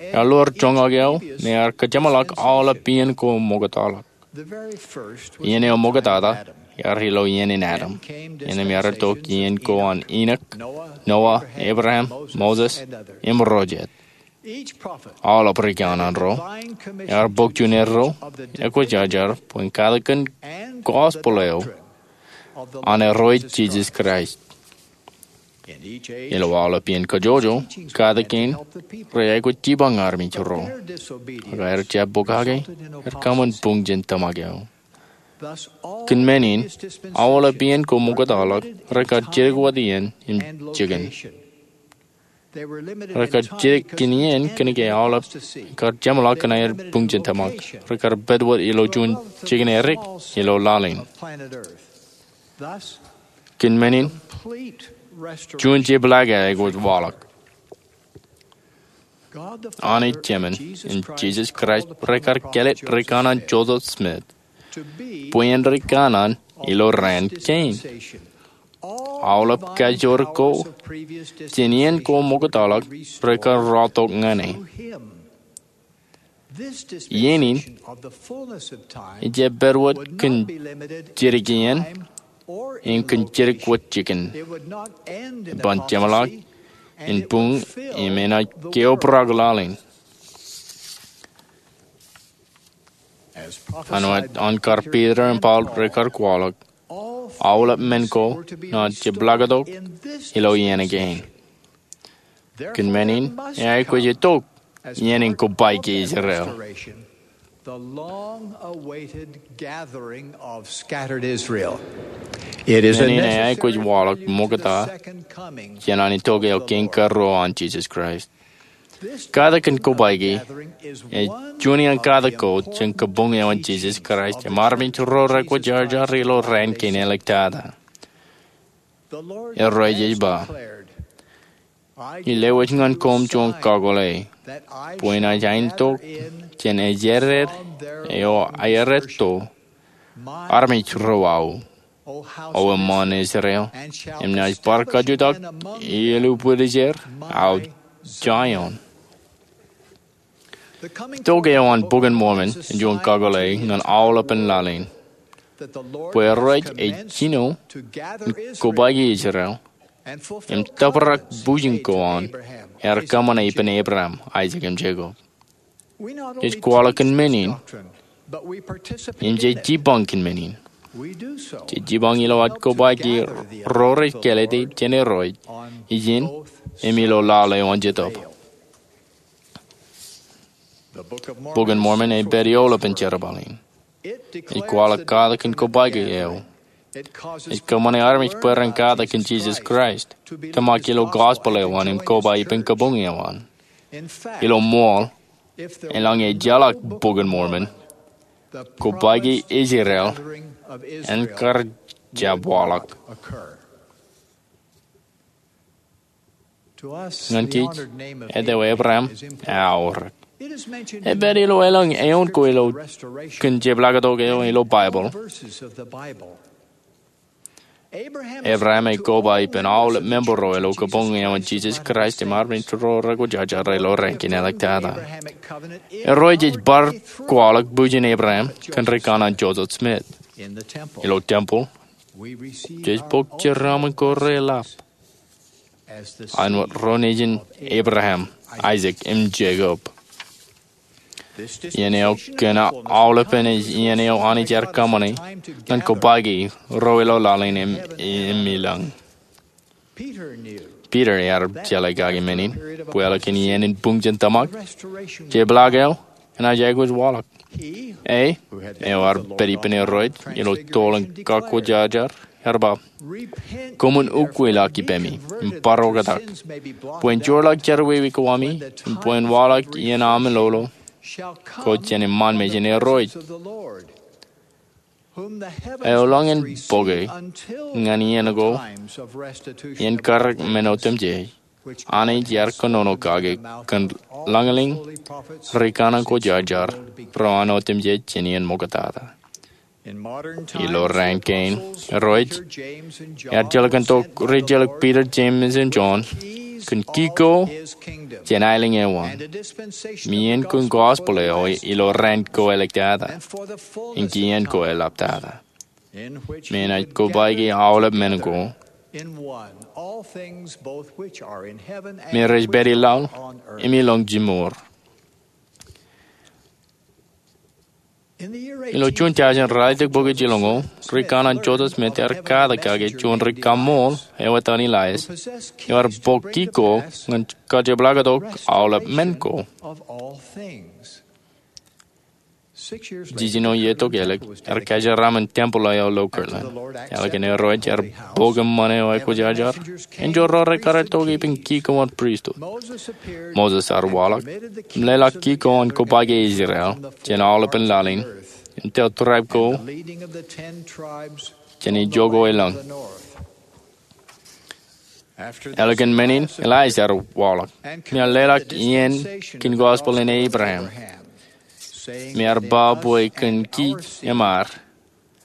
ear lo joñak eo me ear kōjeṃḷọk aolep iien ko ṃoktaḷọk. Iien eo ṃoktata ear ilo iien in Adam, innām ear itok iien ko an Enoch, Noah, Abraham, Moses, im ro jet. Aolep ri kanaan ro ear bōk juon erro ekwōjarjar bwe en katak kōn gospel eo an Irooj Jisōs Kraist. Ilo aolep iien kajjojo, katak kein rej aikuj jipañ armej ro. Ak aer jab bōk kake, er kōṃṃan buñ jān tōmak eo. Kōn men in, aolep iien ko ṃoktaḷọk, rekar jidik wōt iien im jikin. Rekar jidik kōn iien kōnke aolep kar jeṃḷọk kōn aer buñ jān tōmak. Rekar pād wōt ilo juon jikin erik ilo laḷ in. Kōn men in, juon jepḷaak eaikuj waḷọk. Anij Jemān im Jisōs Kraist rekar kāālōt ri kanaan Joseph Smith bwe en ri kanaan ilo raan kein. Aolep kajoor ko jān iien ko ṃoktaḷọk rekar rọọltok ñan e. Iien in ejjab pād wōt kōn jidik iien im kōn jidik wōt jikin. Eban jeṃḷọk in buñ im enaaj keobrak laḷ in. An wōt an kar Piter im Paul rekar kwaḷọk, aolep men ko naaj jepḷaaktok ilo iien kein. Kōn men in, eaikuj itok iien in kobaiki Israel. Men in eaikuj waḷọk ṃokta jān an itok eo kein karuo an Jisōs Kraist. Katak kōn kobaiki ej juon iaan katak ko jān kabuñ eo an Jisōs Kraist im armej ro rekwōjarjar ilo raan kein āliktata. Irooj ej ba, Ij lewōj ñan koṃ juon kakōḷḷe, bwe inaaj ainiktok jān ejāder eo aerōtto armej ro aō, O eṃṃaan Israel, im naaj bar kajutak ilo bwidej er aō Jaion. Itok eo an Bok in Mormon ej juon kakōḷḷe ñan aolepān laḷ in, bwe Irooj ej jino in kobaiki Israel im tōprak bwijin ko an ear kōṃṃane ippān Abraham, Aisak im Jekob. Jej kwaḷọk kōn men in im jej jipañ kōn men in. Jej jipañ ilo ad kobaiki ro rej kālōte jān Irooj ijin im ilo laḷ eo an Jetōb. Bok in Mormon ej pād eolepen jerbal in. Ej kwaḷọk katak kōn kobaiki eo. Ej kōṃṃane armej bwe ren katak kōn Jisōs Kraist, tōmak ilo gospel eo an im koba ippān kabuñ eo an. Ilo ṃool, eḷaññe ejjeḷọk Bok in Mormon, kobaiki Israel en kar jab waḷọk. Ñan kōj, āt eo Abraham eaorōk. Ej pād ilo elōñ eoon ko ilo kōn jepḷaaktok eo ilo Baibōḷ. Ebream ej koba ippān aolep member ro ilo kabuñ eo an Jisōs Kraist im armej ro rekwōjarjar ilo raan kein āliktata. Irooj ej bar kwaḷọk bwijin Ebream kōn rikanaan Joseph Smith. Ilo tempeḷ, jej bōk jeraaṃṃan ko reḷap āinwōt ro nejin Ebream, Aisak im Jekob. Iien eo kōn aolepān ej iien eo Anij ear kōṃṃane ñan kobaik e ro ilo laḷ in im ilañ. Piter ear jeḷā kake men in bwe eḷap kōn iien in buñ jān tōmak, jepḷaak eo enaaj aikuj waḷọk. E, eo ear pād ippān Irooj ilo toḷ in kakwōjarjar, ear ba, koṃwin ukwilọk ipemi im bar oktak, bwe en joorḷọk jerọwiwi ko ami im bwe en waḷọk iien aṃ lolo ko jān iṃaan mejān Irooj, eo lañ in bōke ñan iien ko, iien karōk men otemjej, Anij ear kōnono kake kōn lañlōñ rikanaan kwōjarjar ro an otemjej jān iien ṃoktata. Ilo raan kein, Irooj ear jilkintok ri-jilkintok Piter, Jemes im Jon kōn ki ko jān aelōñ eo an, im iien kōn gospel eo ilo raan ko āliktata im kien ko eḷaptata, me enaaj kobaiki aolep men ko me rej pād ilaḷ im ilañ jiṃor. Ilo juon thousand ralitōk bokjel jiljino, rikanaan Joseph Smith ear katak kake juon ri-kaṃṃool eo etan Elias, eo ear bōk ki ko ñan kajepḷaaktok aolep men ko. Jiljino iiō tok ālik, ear kajeraaṃṃan tempeḷ eo ilo Kirtland. Ālikin Irooj ear bōk eṃṃan eo ekwōjarjar, enjeḷ ro rej karitok ippān ki ko an pristut. Moses ear waḷọk im leḷọk ki ko an kobaik e Israel jān aolepān laḷ in, im tōl tribe ko jān ijo ko ilañ. Ālikin men in, Elias ear waḷọk im ear leḷọk iien kōn gospel in Abraham, im ear ba bwe kōn kij im ad,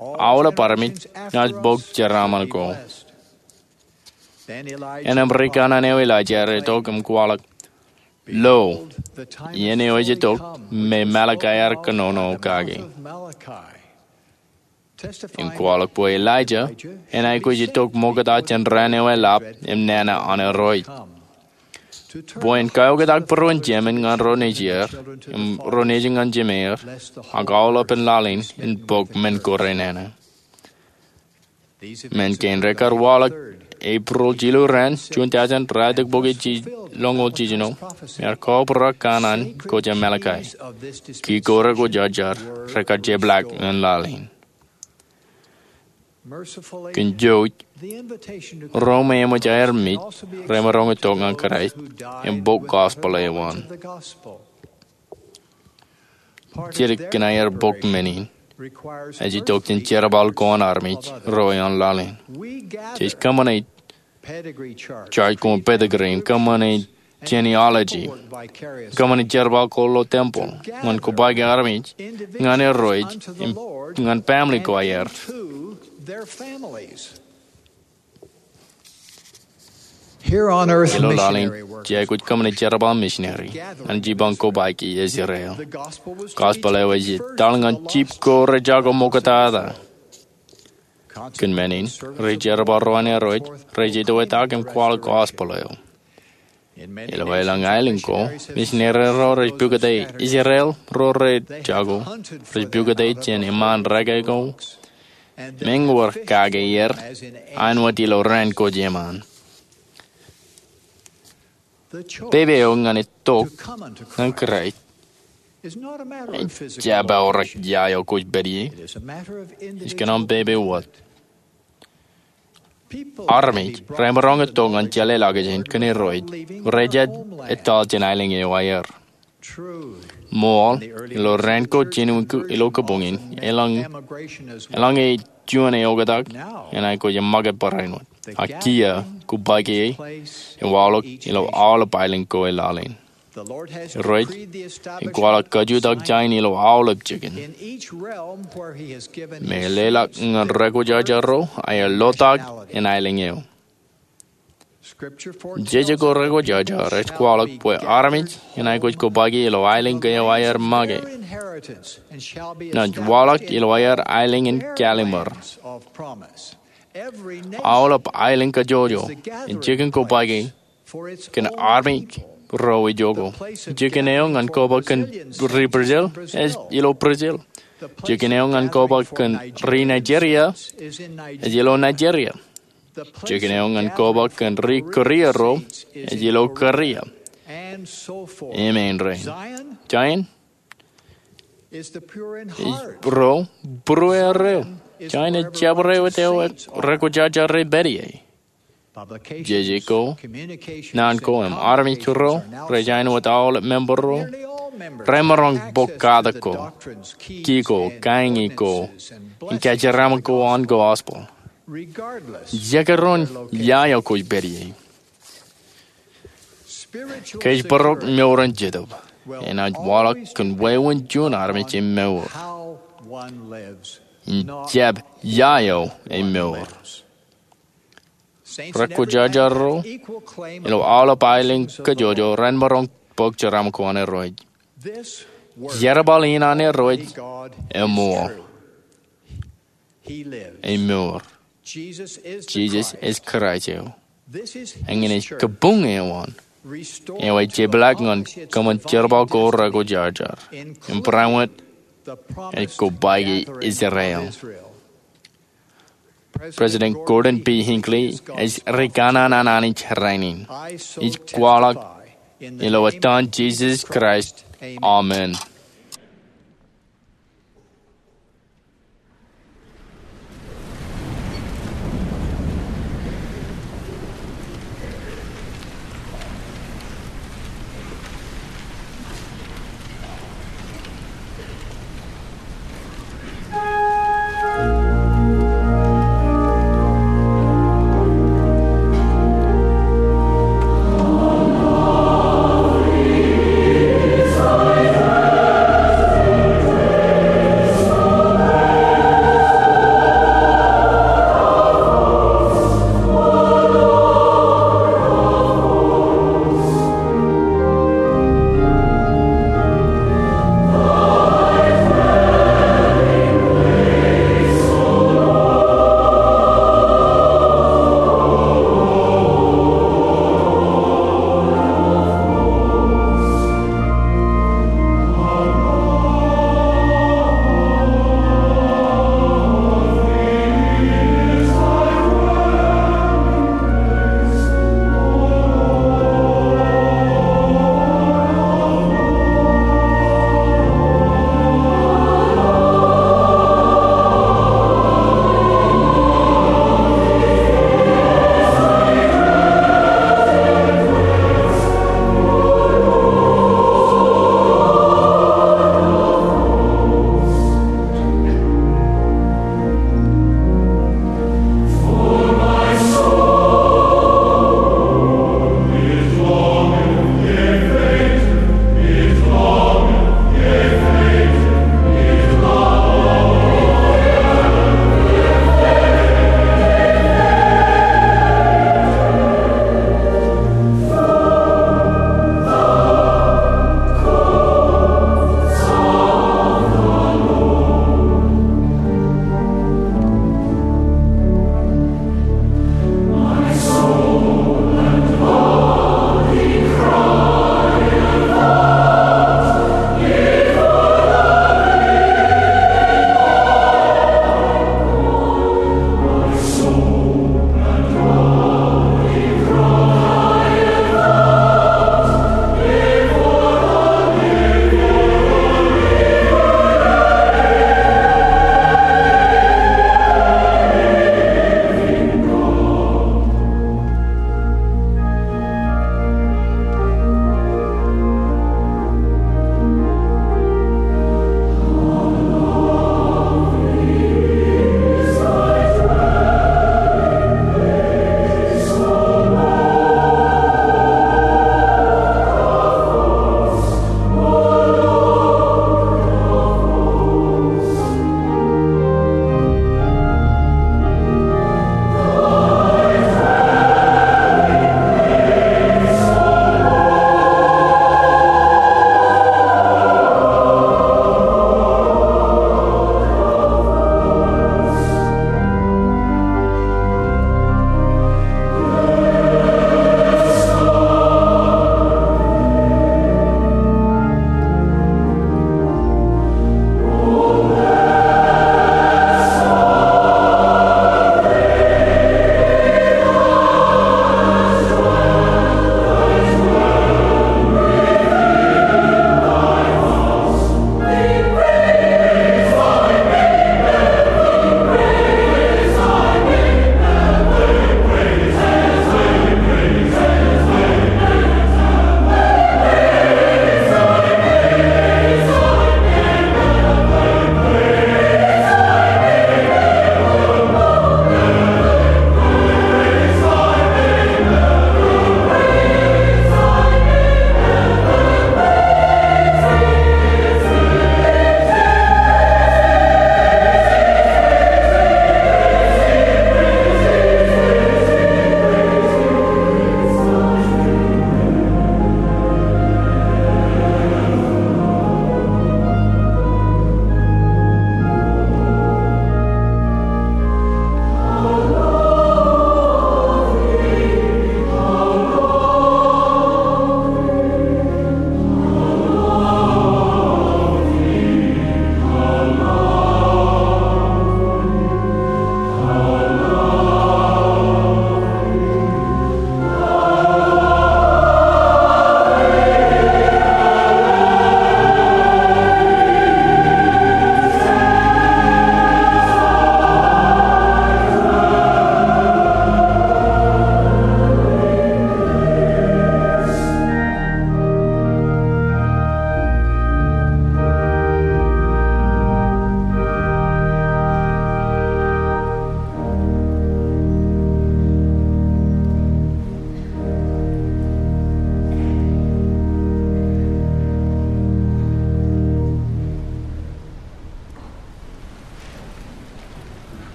aolep armej enaaj bōk jeraaṃṃan ko. Innām rikanaan eo Elijah ear itok im kwaḷọk, lo, iien eo ej itok me Malachi ear kōnono kake, im kwaḷọk bwe Elijah en aikuj itok ṃokta jān raan eo eḷap im nana an Irooj, bwe en kaoktak būruon jemān ñan ro nejier, im ro nejin ñan jemeir, ak aolepān laḷ in en bōk men ko renana. Men kein rekar waḷọk Epril jilu raan, juon thousand ralitōk bokjel jiljino, im ear kobrak kanaan ko jān Malachi. Ki ko rekwōjarjar rekar jepḷaak ñan laḷ in. Kōn jouj, ro me eṃōj aer mej remaroñ in tok ñan Kraist im bōk gospel eo an. Jidik kōn aer bōk men in ej itok jān jerbal ko an armej ro eoon laḷ in. Jej kōṃṃane jar ko an pedigree, kōṃṃane genealogy, kōṃṃane jerbal ko ilo tempeḷ ñan kobaik e armej ñan Irooj im ñan family ko aer. Ilo laḷ in, jej aikuj kōṃṃane jerbal misineri ñan jipañ kobaik e Israel. Gospel eo ej etal ñan jip ko rej jako ṃoktata. Kōn men in, ri-jerbal ro an Irooj rej itok etak im kwaḷọk gospel eo. Ilo aelōñ aelōñ ko, misineri ro rej pukot Israel ro rej jako, rej pukot jān iṃaan reke ko, meñe wōr kake er, āinwōt ilo raan ko jeṃaan. Pepe eo ñan itok ñan Kraist ej jab aorōk ia eo kwōj pād ie. Ej kōn aṃ pepe wōt. Armej remaroñ in tok ñan jeḷāḷọkjeṇ kōn Irooj rej jab etal jān aelōñ eo aer. Ṃool, ilo raan ko jinoin ilo kabuñ in, eḷaññe juon eoktak enaaj kōjak ṃōkaj barāinwōt. Ak kiiō, kobaik e ej waḷọk ilo aolep aelōñ ko e laḷ in. Irooj ej kwaḷọk kajutak jān ilo aolep jikin. Im eḷḷọk ñan rekwōjarjar ro aer lotak in aelōñ eo. Jeje ko rekwōjarjar ej kwaḷọk bwe armej enaaj kōjkobake ilo aelōñ ko eo aer make. Naaj waḷọk ilo aer aelōñ in kālimur. Aolep aelōñ kajjojo ej jikin kobake kōn armej ro ijoko. Jikin eo ñan kobak kōn ri Brazil ej ilo Brazil. Jikin eo ñan kobak kōn ri Nigeria ej ilo Nigeria. Jikin eo ñan kobak kōn ri Korea ro ej ilo Korea. Im āindein Zion ej ro būrueer eo. Zion ej jabdewōt eo rekwōjarjar ej pād ie. Jeje ko, naan ko im armej ro rej āinwōt aolep member ro remaroñ bōk katak ko, ki ko, kāinge ko, im kōjeraaṃṃan ko an gospel. Jekdọọn ia eo kwōj pād ie, kōjparok mour in Jetōb enaaj waḷọk kōn wāween juon armej emour. Im jab ia eo emour. Rekwōjarjar ro ilo aolep aelōñ kajjojo remaroñ bōk jeraaṃṃan ko an Irooj. Jerbal in an Irooj emour. Emour. Jisōs ej Kraist eo. Eñin ej kabuñ eo an eo ej jeplak ñan kōṃṃan jerbal ko rekwōjarjar im barāinwōt ej kobake Israel. President Gordon B. Hinckley ej ri kanaan an Anij rainin. Ij kwaḷọk ilo etan Jisōs Kraist, amen.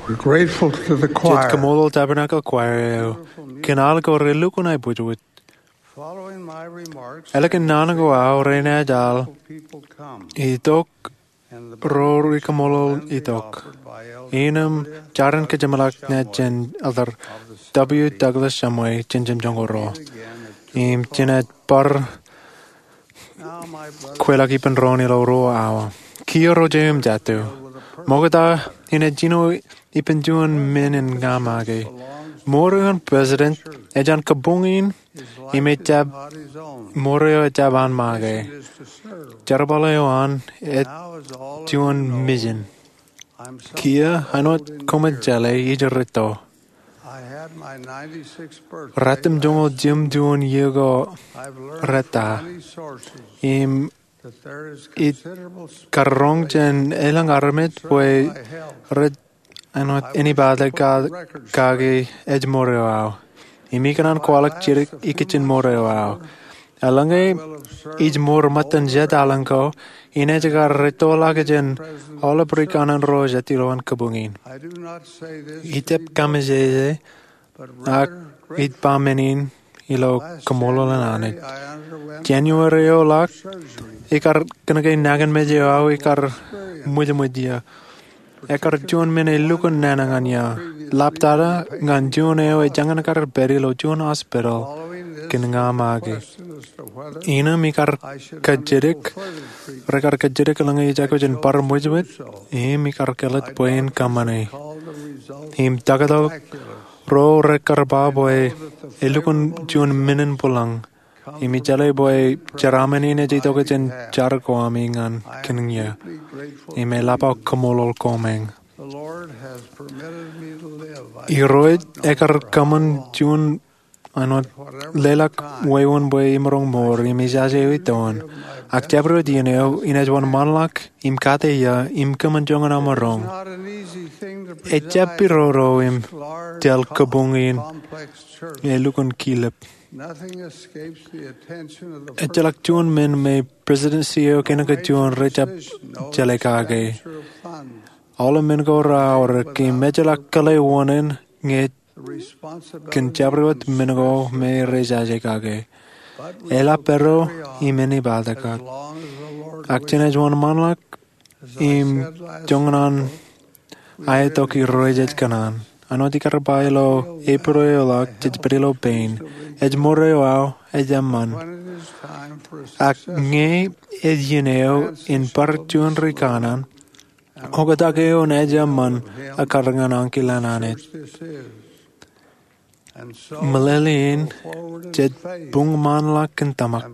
We're grateful to the choir. Jen kaṃṃoolol Tabernacle Choir eo kōn al ko relukkuun aebwijbwij. Following my remarks, ālikin naan ko aō renaaj al, people come, itok, and the ro rikaṃṃoolol benediction is itok. Offered by Elder Innām Gloria jaren kōjeṃḷọk Shumway, ñan jān Elder W. Douglas Shumway jān Jemjoñoul ruo. Im jenaaj bar kweilọk ippān doon ilo ruo awa. Kiiō ro jeiū im jatū, ṃokta inaaj jino ippān juon men in ña make. Mour eo an president ej an kabuñ in, im ejjab, mour eo ejjab an make. Jerbal eo an ej juon mission. Kiiō, āinwōt koṃij jeḷā, ij rūtto. Ratimjuonñoul jimjuon iiō ko rūtto. Im ij karoñ jān elōñ armej bwe rej, āinwōt, āinwōt anybody ka, kake ej mour eo aō. Im ikōṇaan kwaḷọk jidik ikijjien mour eo aō. Eḷaññe ij mour ṃōttan jet laḷ ko, inaaj kar rūttoḷọk jān aolep rikaṇan ro jet ilo an kabuñ in. Ij jab kaṃōjōjō, ak ij ba men in ilo kaṃṃoolol an Anij. January eo ḷọk, ikar kōnke nañinmej eo aō ikar ṃwijṃwij iiō. Ekar juon men elukkuun nana ñan iiō. Ḷaptata ñan juon eo ejañin kar pād ilo juon hospital kōn ña make. Innām ikar kajjitōk, rekar kajjitōk eḷaññe ij aikuj in bar ṃwijṃwij, im ikar kelōt bwe in kōṃṃane. Im taktō ro rekar ba bwe elukkuun juon men in bwilōñ. Im ij jeḷā bwe jeraaṃṃan in ej itok jān jar ko ami ñan kōn iiō. Im eḷap aō kaṃṃoolol koṃ eñ. Irooj ekar kōṃṃan juon, āinwōt, leḷọk wāween bwe imaroñ mour, im ijaje eo itoon. Ak jabdewōt iien eo, inaaj wōnṃaanḷọk im kate iiō, im kōṃṃan joñan aō maroñ. Ejjab pidodo im tōl kabuñ in elukkuun kilep. Ejjeḷọk juon men me presidency eo kōnke juon rejjab jeḷā kake. Aolep men ko reaorōk im ejjeḷọk kōḷḷe wōṇāān ñe kōn jabdewōt men ko me rej jaje kake. Eḷap pād ro im āne bōtaab. Ak jenaaj wōnṃaanḷọk im joñan an aetok Irooj ej kōṇaan. Āinwōt ikar ba ilo April eo ḷọk jej pād ilo pein. Ej mour eo aō, ej eṃṃan. Ak ñe ej iien eo in bar juon rikaṇan, oktak eo enaaj eṃṃan ekkar ñan ankilān Anij. Meḷeḷein, jej buñṃaanḷọk kōn tōmak.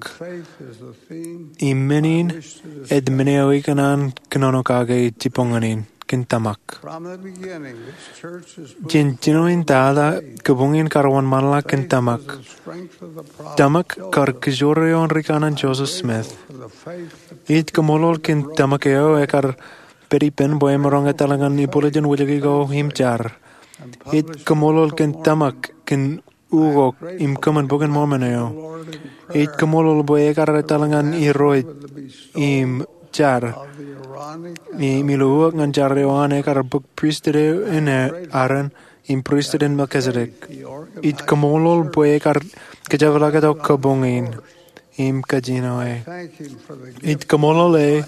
Im men in ej men eo ikōṇaan kōnono kake jibboñōn in, kōn tōmak. Jān jinoin tata, kabuñ in kar wōnṃaanḷọk kōn tōmak. Tōmak kar kōjro eo an rikaṇan Joseph Smith. Ij kaṃṃoolol kōn tōmak eo ekar pād ippān bwe emaroñ etal ñan ibwiljin wijiki ko im jar. Ij kaṃṃoolol kōn tōmak kōn ukok im kōṃṃan Bok in Mormon eo. Ij kaṃṃoolol bwe ekar etal ñan Irooj im jar. Im ilo ukok ñan jar eo an ekar bōk pristut eo an Aaron im pristut in Melchizedek. Ij kaṃṃoolol bwe ekar kōjepḷọk tok kabuñ in im kajjino e. Ij kaṃṃoolol e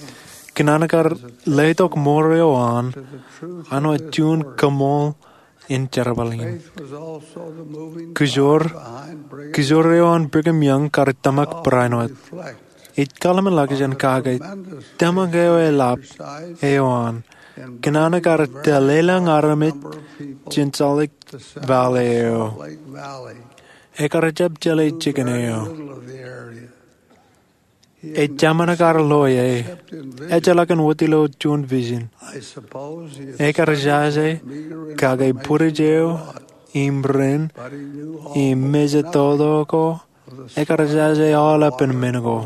kōn an kar letok mour eo an, āinwōt juon kaṃool in jerbal in. Kōjro, kōjro eo an Brigham Young kar tōmak barāinwōt. Ij kaḷmenḷọkjeṇ kake tōmak eo eḷap eo an kōn an kar tōl elōñ armej jān Salt Lake Valley eo. Ekar jab jeḷā jikin eo. Ejāmin kar lo e, ejjeḷọk en wōt ilo juon vision. Ekar jaje kake bwidej eo im rin im mejatoto ko, ekar jaje aolepān men ko.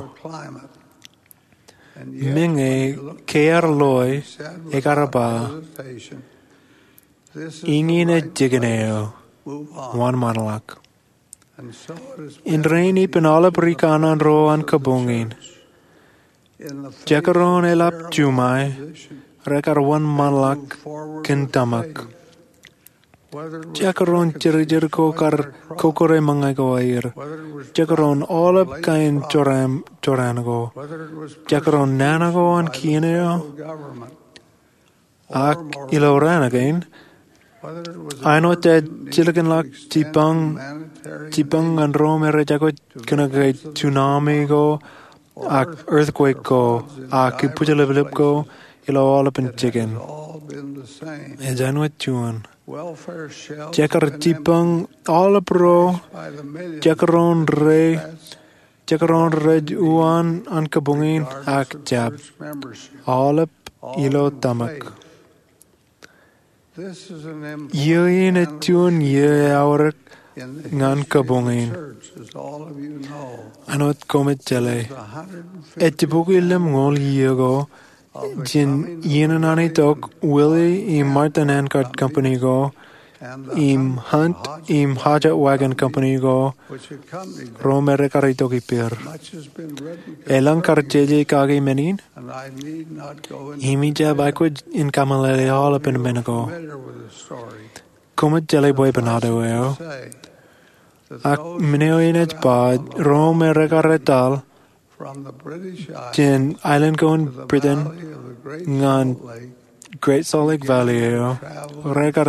Meñe ke ear lo e, ekar ba, "Iñin ej jikin eo. Wōnṃaanḷọk." Indein ippān aolep rikaṇan ro an kabuñ in, jekdọọn eḷap juṃae, rekar wōnṃaanḷọk kōn tōmak. Jekdọọn jirijir ko kar kokkure ṃōñā ko aer, jekdọọn aolep kain jorrāān ko, jekdọọn nana ko an kien eo, ak ilo raan kein, āinwōt ej jilkinḷọk jibboñ ñan ro me rej aikuj kōnke tsunami ko ak earthquake ko ak kibwijelōplōp ko ilo aolepān jikin, ej āinwōt juon. Jekar jibboñ aolep ro, jekdọọn rej uwaan an kabuñ in ak jab, aolep ilo tōmak. Iiō in ej juon iiō eaorōk ñan kabuñ in. Āinwōt koṃij jeḷā, ej jibukwi lemñoul iiō ko jān iien an an itok Willie im Martha Handcart Company ko im Hunt im Hodgett Wagon Company ko, ro me rekar itok ippāer. Elōñ kar jeje kake men in, im ij jab aikuj in kameḷeḷe aolepān men ko. Koṃij jeḷā bwe ipān auto eo, ak men eo in ej ba ro me rekar etal jān aelōñ ko an Britain ñan Great Salt Lake Valley eo, rekar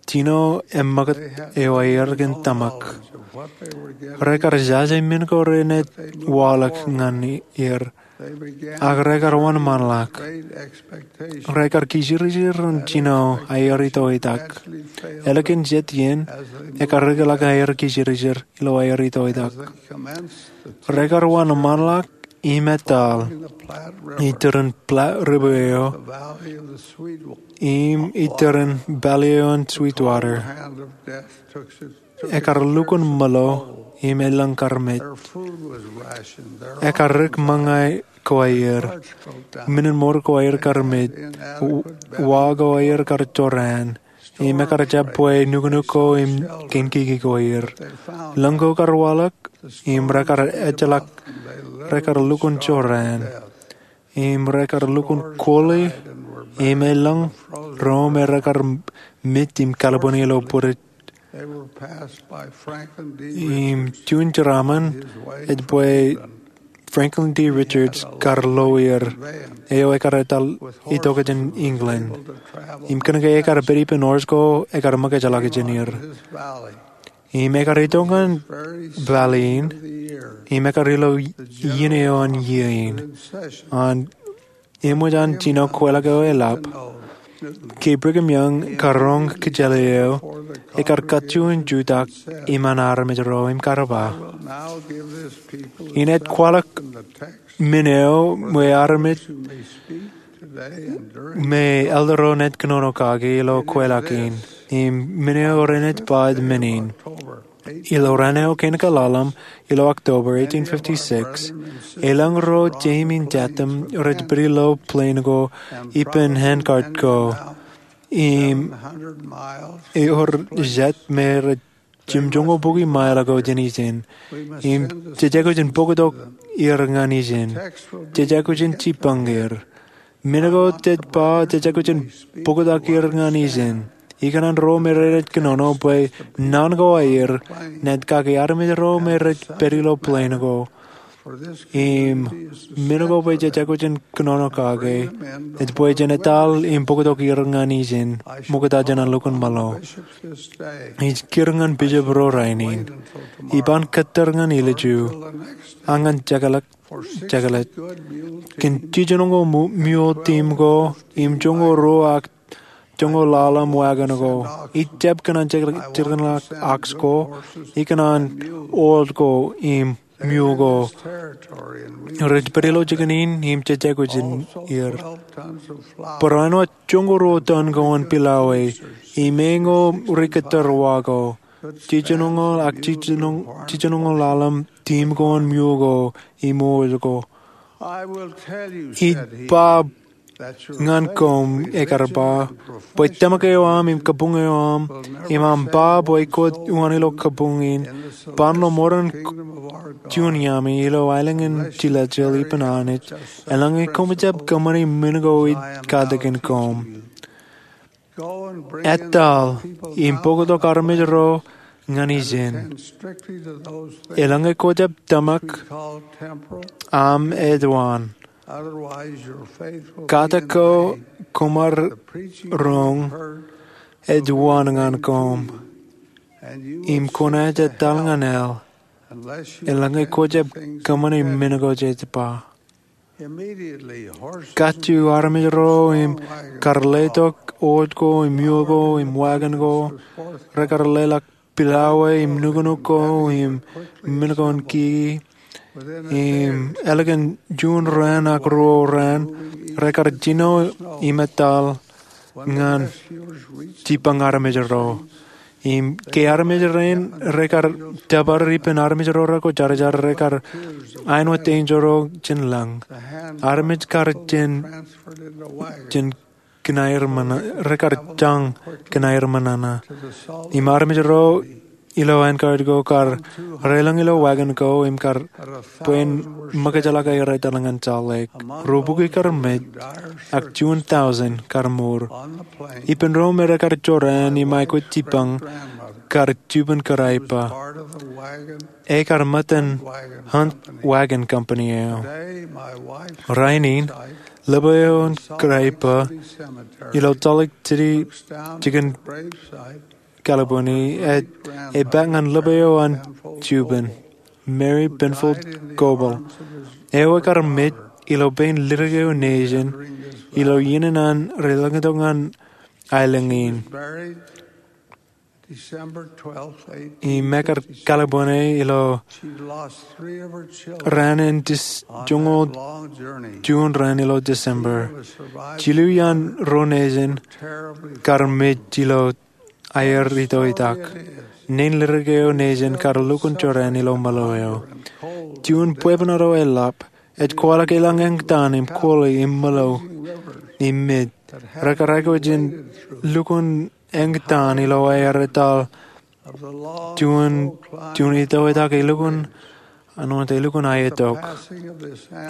jino eṃṃakūt eo aer kōn tōmak. Rekar jaje men ko renaaj waḷọk ñan er, ak rekar wōnṃaanḷọk. Rekar kijirijir in jino aer itoitak. Ālikin jet iien, ekar rikḷọk aer kijirijir ilo aer itoitak. Rekar wōnṃaanḷọk im etal itōrin Platte River eo im itōrin valley eo an Sweetwater. Ekar lukkuun ṃōḷo im elōñ kar mej. Ekar rik ṃōñā ko aer. Menen mour ko aer kar mej. Wa ko aer kar jorrāān. Im ekar jab bwe nuknuk ko im keinkiki ko aer. Lōñ ko kar waḷọk, im rekar ejjeḷọk, rekar lukkuun jorrāān. Im rekar lukkuun koli, im elōñ ro me rekar mej im kalbwini ilo bwidej. Im juon jeraaṃṃan ej bwe Franklin D. Richards kar lo er, eo ekar etal itok jān England. Im kōnke ekar pād ippān horse ko, ekar ṃōkajḷọk jān er. Im ekar itok ñan valley in, im ekar ilo iien eo an iiō in. An eṃōj an jino kweilọk eo eḷap, ke Brigham Young karoñ kōjjeḷā eo, ekar kajju in jutak iṃaan armej ro im kar ba, inaaj kwaḷọk men eo me armej me elder ro naaj kōnono kake ilo kweilọk in, im men eo renaaj ba men in. Ilo raan eo kein kaḷalem, ilo October eighteen fifty-six, elōñ ro jeim im jatūṃ rej pād ilo plane ko ippān handcart ko, im ewōr jet me rej jimjuonñoul bukwi mile ago jān ijin, im jej aikuj in bōktok er ñan ijin. Jej aikuj in jibboñ er. Men ko jej ba jej aikuj in bōktok er ñan ijin. Ikōṇaan ro me renaaj kōnono bwe naan ko aer naaj kake armej ro me rej pād ilo plane ko. Im men ko bwe jej aikuj in kōnono kake, ej bwe jen etal im bōktok er ñan ijin, ṃokta jān an lukkuun ṃōḷo. Ij kūr ñan bishop ro rainin. Ij ban kōttar ñan ilju, ak ñan jekḷaj, jekḷaj. Kōn jiljinoñoul mu-, mule team ko, im joñoul ruo ak joñoul ḷalem wagon ko. Ij jab kōṇaan jilkinḷọk ox ko, ikōṇaan olt ko im mule ko. Rej pād ilo jikin in im jej aikuj in er. Barāinwōt joñoul ruo ton ko an pilawā, im eñoul ri kōttar wa ko. Jiljinoñoul ak jiljinoñ-, jiljinoñoul ḷalem team ko an mule ko im olt ko. Ij ba ñan koṃ, ekar ba, bwe tōmak eo aṃ im kabuñ eo aṃ, im aṃ ba bwe kwōj uwaan ilo kabuñ in, ban lo mour in juon iaami ilo aelōñ in tilejel ippān Anij, eḷaññe koṃij jab kōṃṃani men ko ij katakin koṃ. Etal im bōktok armej ro ñan ijin. Eḷaññe kwōj jab tōmak, aṃ ej waan. Kate ko koṃ ar roñ ej waan ñan koṃ, im kwōnaaj etal ñan eḷ eḷaññe kwōj jab kōṃṃani men ko jej ba. Kajju armej ro im kar letok wōj ko im iuḷ ko im wagon ko, rekar leḷọk pilawā im nuknuk ko im men ko in kiki, im ālikin juon raan ak ruo raan rekar jino im etal ñan jipañ armej ro. Im ke armej rein rekar tōpar ippān armej ro rekwōjarjar, rekar āinwōt enjeḷ ro jān lañ. Armej kar jān, jān kōn aer ṃōṇōṇō, rekar jañ kōn aer ṃōṇōṇō. Im armej ro ilo Anchorage ko kar reilōñ ilo wagon ko im kar bwe en ṃōkajḷọk aer etal ñan Salt Lake. Ruo bukwi kar mej, ak juon tọujin kar mour. Ippān ro me rekar jorrāān im aikuj jipañ kar juban kōrā ippa. Ekar ṃōttan Hunt Wagon Company eo. Rainin, ḷap eo an kōrā ippa ilo Salt Lake City, jikin California, ej, epaak ñan ḷap eo an juban, Mary Penfold Goebel. Eo ekar mej ilo pein lidik eo nejin, ilo iien an reilōñtok ñan aelōñ in. Im ekar kalbwene ilo raan in Dis-, joñoul juon raan ilo December. Jilu iaan ro nejin kar mej ilo aer itoitak. Nein lidik eo nejin kar lukkuun jorrāān ilo mālō eo. Juon bwebwenato eḷap, ej kwaḷọk eḷaññe eñtaan im koli im mālō im mej rekar aikuj in lukkuun eñtaan ilo aer etal juon, juon itoitak elukkuun, āinwōt elukkuun aetok.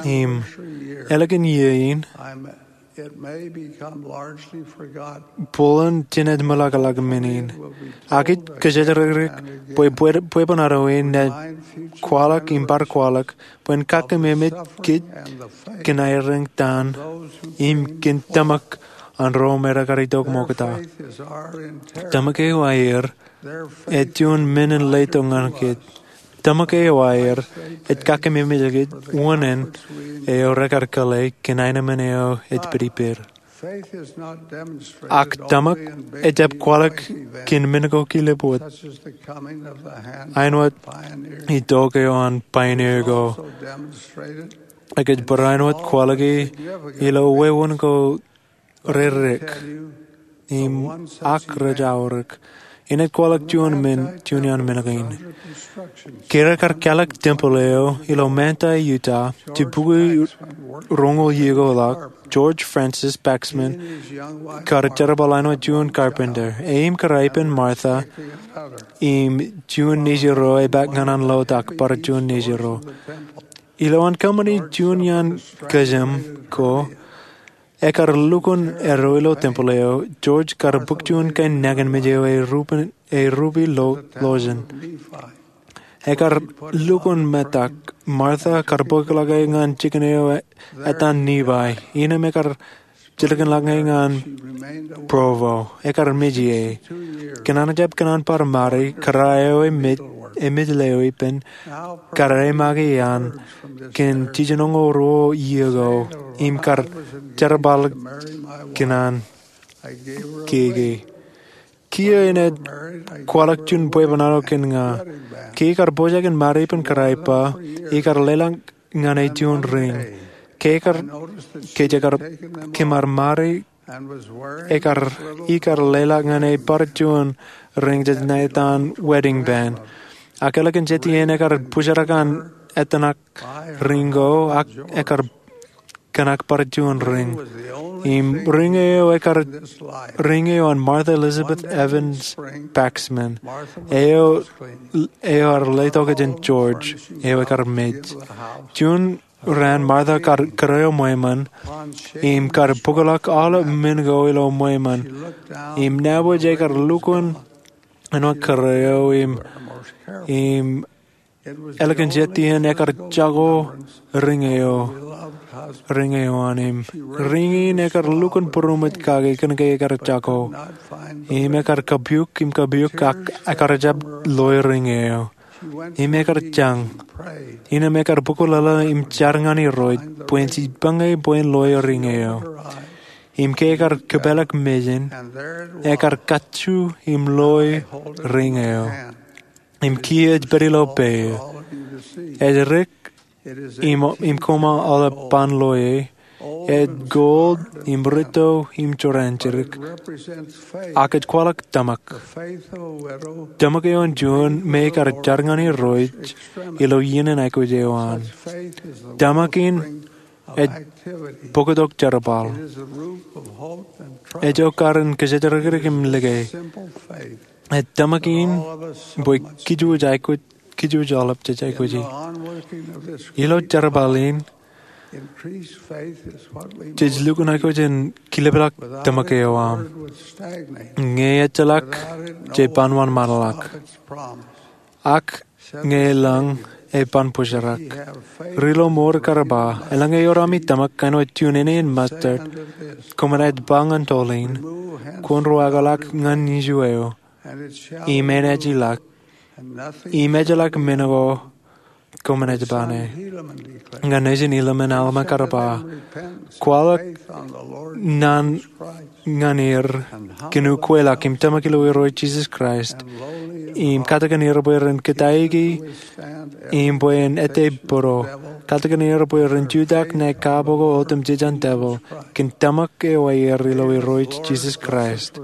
Im ālikin iiō in, bōlen jen ej meḷọkḷọk men in. Ak ij kōjatdikdik bwe bwebwenato in ej kwaḷọk im bar kwaḷọk bwe en kakkememej kōj kōn aer eñtaan im kōn tōmak an ro me rekar itok ṃokta. Tōmak eo aer ej juon men in letok ñan kōj. Tōmak eo aer ej kakkememej kōj wōṇāān eo rekar kōḷḷe kōn aenōṃṃan eo ej pediped. Ak tōmak ejjab kwaḷọk kōn men ko kilep wōt, āinwōt itok eo an pioneer ko. Ekōjparok āinwōt kwaḷọke ilo wāween ko redik im ak rej aorōk. Inaaj kwaḷọk juon men, juon iaan men kein. Ke rekar kālọk tempeḷ eo ilo Manti, Utah, jibukwi roñoul iiō ko ḷọk, George Francis Paxman kar jerbal āinwōt juon carpenter. E im kōrā ippān Martha im juon nejiro epaak ñan an lotak bar juon nejiro. Ilowaan kōṃṃani juon iaan kōjām ko, ekar lukkuun eddo ilo tempeḷ eo. George kar bōk juon kain nañinmej eo e rupe, e rupe lo, lojen. Ekar lukkuun metak. Martha kar bōkḷọk e ñan jikin eo e, etan Nephi. Innām ekar jilkinḷọk e ñan Provo. Ekar mej ie. Kōn an ejjab kōṇaan bar mari, kōrā eo emej, emej leo ippān, kar eṃṃake iaan kōn jiljinoñoul ruo iiō ko im kar jerbal kōn an keke. Kiiō inaaj kwaḷọk juon bwebwenato kōn ña. Ke ikar pojak in mari ippān kōrā ippa, ikar leḷọk ñan e juon ring. Ke ikar, ke ikar, kōm ar mari, ekar, ikar leḷọk ñan e bar juon ring jej ṇa etan wedding band. Ak ālikin jet iien ekar bōjrak an etanak ring ko, ak ekar kōṇak bar juon ring. Im ring eo ekar, ring eo an Martha Elizabeth Evans Paxman. Eo, eo ear letok jān George, eo ekar mej. Juon raan Martha kar kōrā eo ṃweiṃōn, im kar bōkḷọk aolep men ko ilo ṃweiṃōn. Im nabōj ekar lukkuun āinwōt kōrā eo im, im ālikin jet iien ekar jako riñe eo, riñe eo an im riñe in ekar lukkuun būroṃōj kake kōnke ekar jako. Im ekar kapiuk im kapiuk ak ekar jab loe riñe eo. Im ekar jañ. Innām ekar bōk wōtlōtlō im jar ñan Irooj bwe en jipañ e bwe en loe riñe eo. Im ke ekar kōpeḷḷọk mejān, ekar kajju im loe riñe eo. Im kiiō ej pād ilo peiō. Ej dik im, im koṃ aolep ban loe e. Ej gold im rūtto im jorrāān jidik. Ak ej kwaḷọk tōmak. Tōmak eo an juon me ekar jar ñan Irooj ilo iien in aikuj eo an. Tōmak in ej bōktok jerbal. Ej okar in kōjatdikdik im like. Ej tōmak in bwe kij wōj aikuj, kij wōj aolep jej aikuji. Ilo jerbal in, jej lukkuun aikuj in kilepḷọk tōmak eo aṃ. Ñe ejjeḷọk, jej ban wōnṃaanḷọk. Ak ñe elōñ, e ban bōjrak. Ri ilo mour kar ba, eḷaññe eor ami tōmak āinwōt juon āne in mustard, koṃ naaj ba ñan toḷ in, kwōn ruwaakḷọk ñan iju eo, im enaaj ilọk. Im ejjeḷọk men ko koṃ naaj ba ñe. Ñan nejin Helaman, Alma kar ba, kwaḷọk naan ñan er kōn ukweḷọk im tōmak ilo Irooj Jisōs Kraist, im katakin er bwe ren kōtaiki, im bwe en ettā būro, katakin er bwe ren jutak ñan kaabokbok otemjej an devil, kōn tōmak eo aer ilo Irooj Jisōs Kraist.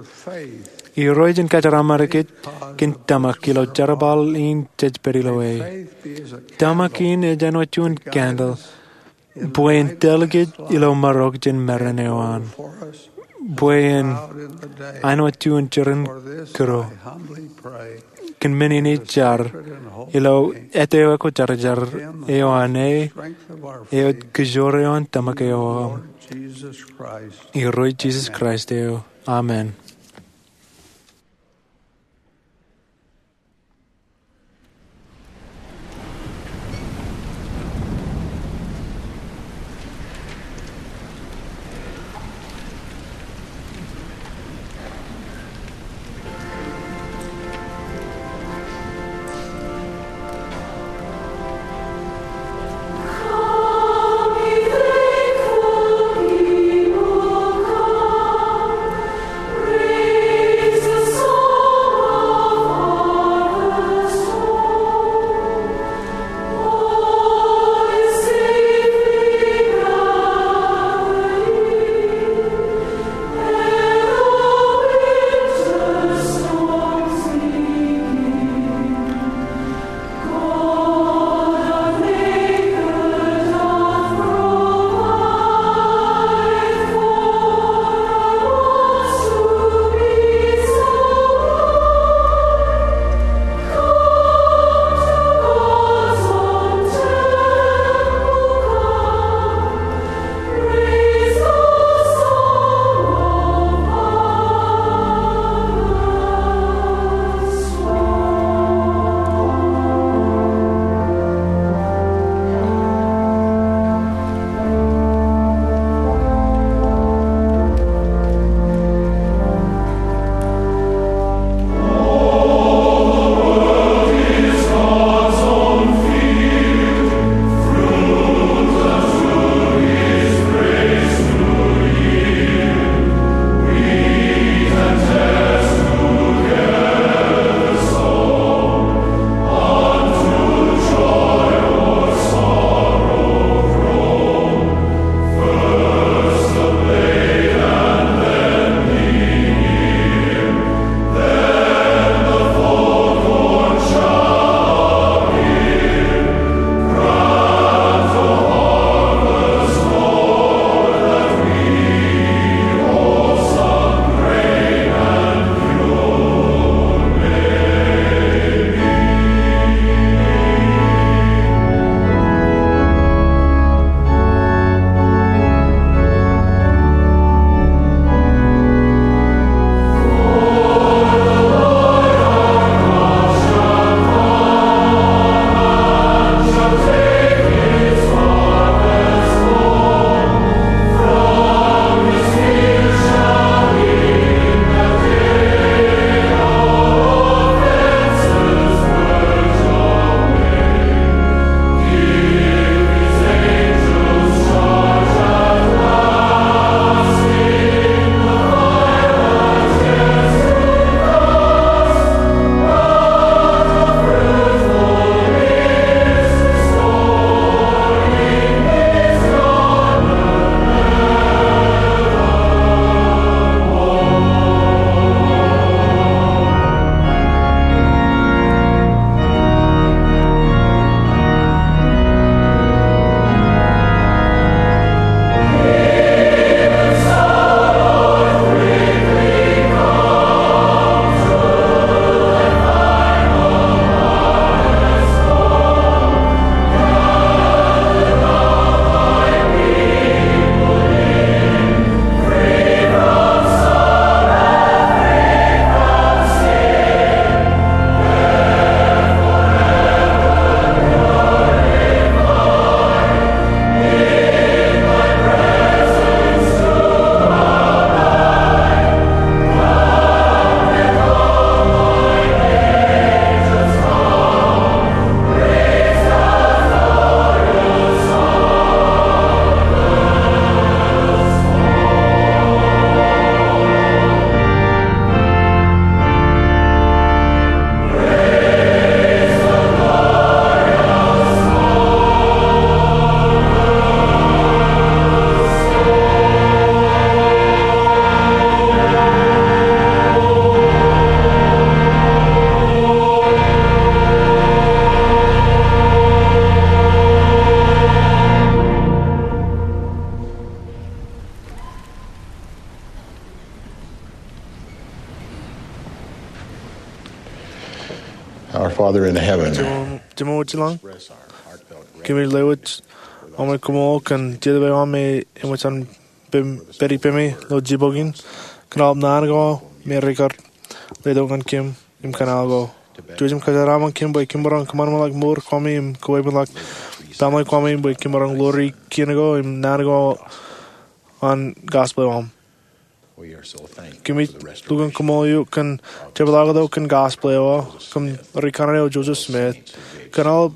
Irooj en kōjeraaṃṃan kōj kōn tōmak ilo jerbal in jej pād ilo e. Tōmak in ej āinwōt juon candle, bwe en tōl kōj ilo marok jān meren eo an. Bwe en āinwōt juon jeran kūro. Kōn men in ij jar, ilo āt eo ekwōjarjar eo an e, eo ej kōjoor eo an tōmak eo aṃ. Irooj Jisōs Kraist eo. Amen. Our Father in heaven, Jemem, Jemem wōt ilañ, kōmij lewōj aṃ koṃṃool kōn jerbal eo aṃ me eṃōj an pād ippemi ilo jibboñ in, kōn aolep naan ko me rekar letok ñan kōm im kōṇaan ko. Ijo ij kōjeraaṃṃan kōm bwe kōm maroñ kōṃanṃanḷọk mour Kwōjarjar im kōwebenḷọk baaṃle Kwōjarjar bwe kōm maroñ ḷoori kien ko im naan ko an gospel eo aṃ. Kōmij lukkuun koṃṃool eok kōn jepḷaaktok kōn gospel eo aṃ. Kōm ri kanaan eo Joseph Smith, kōn aolep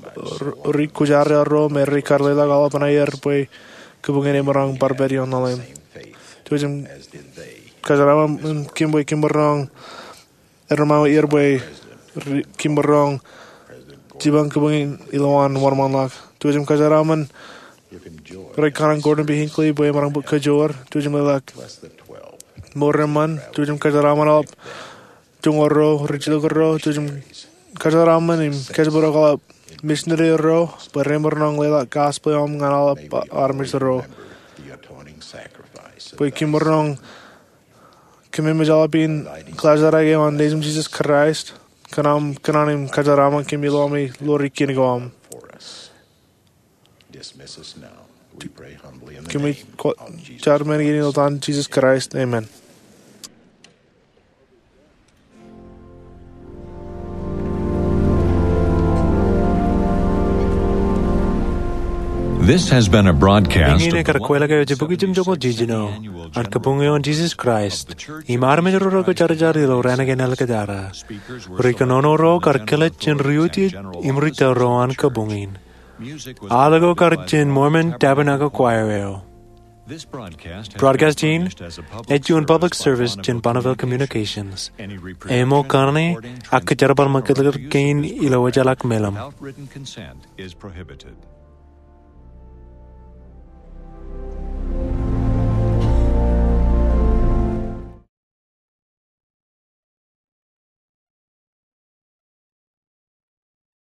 ri kwōjarjar ro me rekar leḷọk aolepān aer bwe kōbuñin emaroñ bar pād ioon ḷalem. Ijo ij kōjeraaṃṃan kōm bwe kōm maroñ erremāue er bwe kōm maroñ jipañ kōbuñin ilowaan wōnṃaanḷọk. Ijo ij kōjeraaṃṃan ri kanaan Gordon B. Hinckley bwe emaroñ bōk kōjoor. Ijo ij leḷọk mour eṃṃan. Ijo ij kōjeraaṃṃan aolep joñoul ro, rijilōk ro. Ijo ij kōjeraaṃṃan im kōjparok aolep misineri ro bwe remaroñ leḷọk gospel eo aṃ ñan aolep armej ro. Bwe kōm maroñ kōmemejaḷ pen kaḷajrake eo an Nejūṃ Jisōs Kraist, kōn aṃ kōṇaan im kōjeraaṃṃan kōm ilo ami ḷoori kien ko aṃ. Kōmij jar men kein ilo etan Jisōs Kraist, amen. This has been a broadcast. Eñin ekar kweilọk eo ej bukwi jimjuonñoul jiljino an Kabuñ eo an Jisōs Kraist im armej ro rekwōjarjar ilo raan kein āliktata. Ri kōnono ro kar kilōk jān ri utiej im ri tōl ro an kabuñ in. Aḷ ko kar jān Mormon Tabernacle Choir eo. Broadcast in ej juon public service jān Bonneville Communications. Eṃōj kōṇe ak kōjerbal ṃakūtkūt kein ilo wōjḷọk meḷeṃ.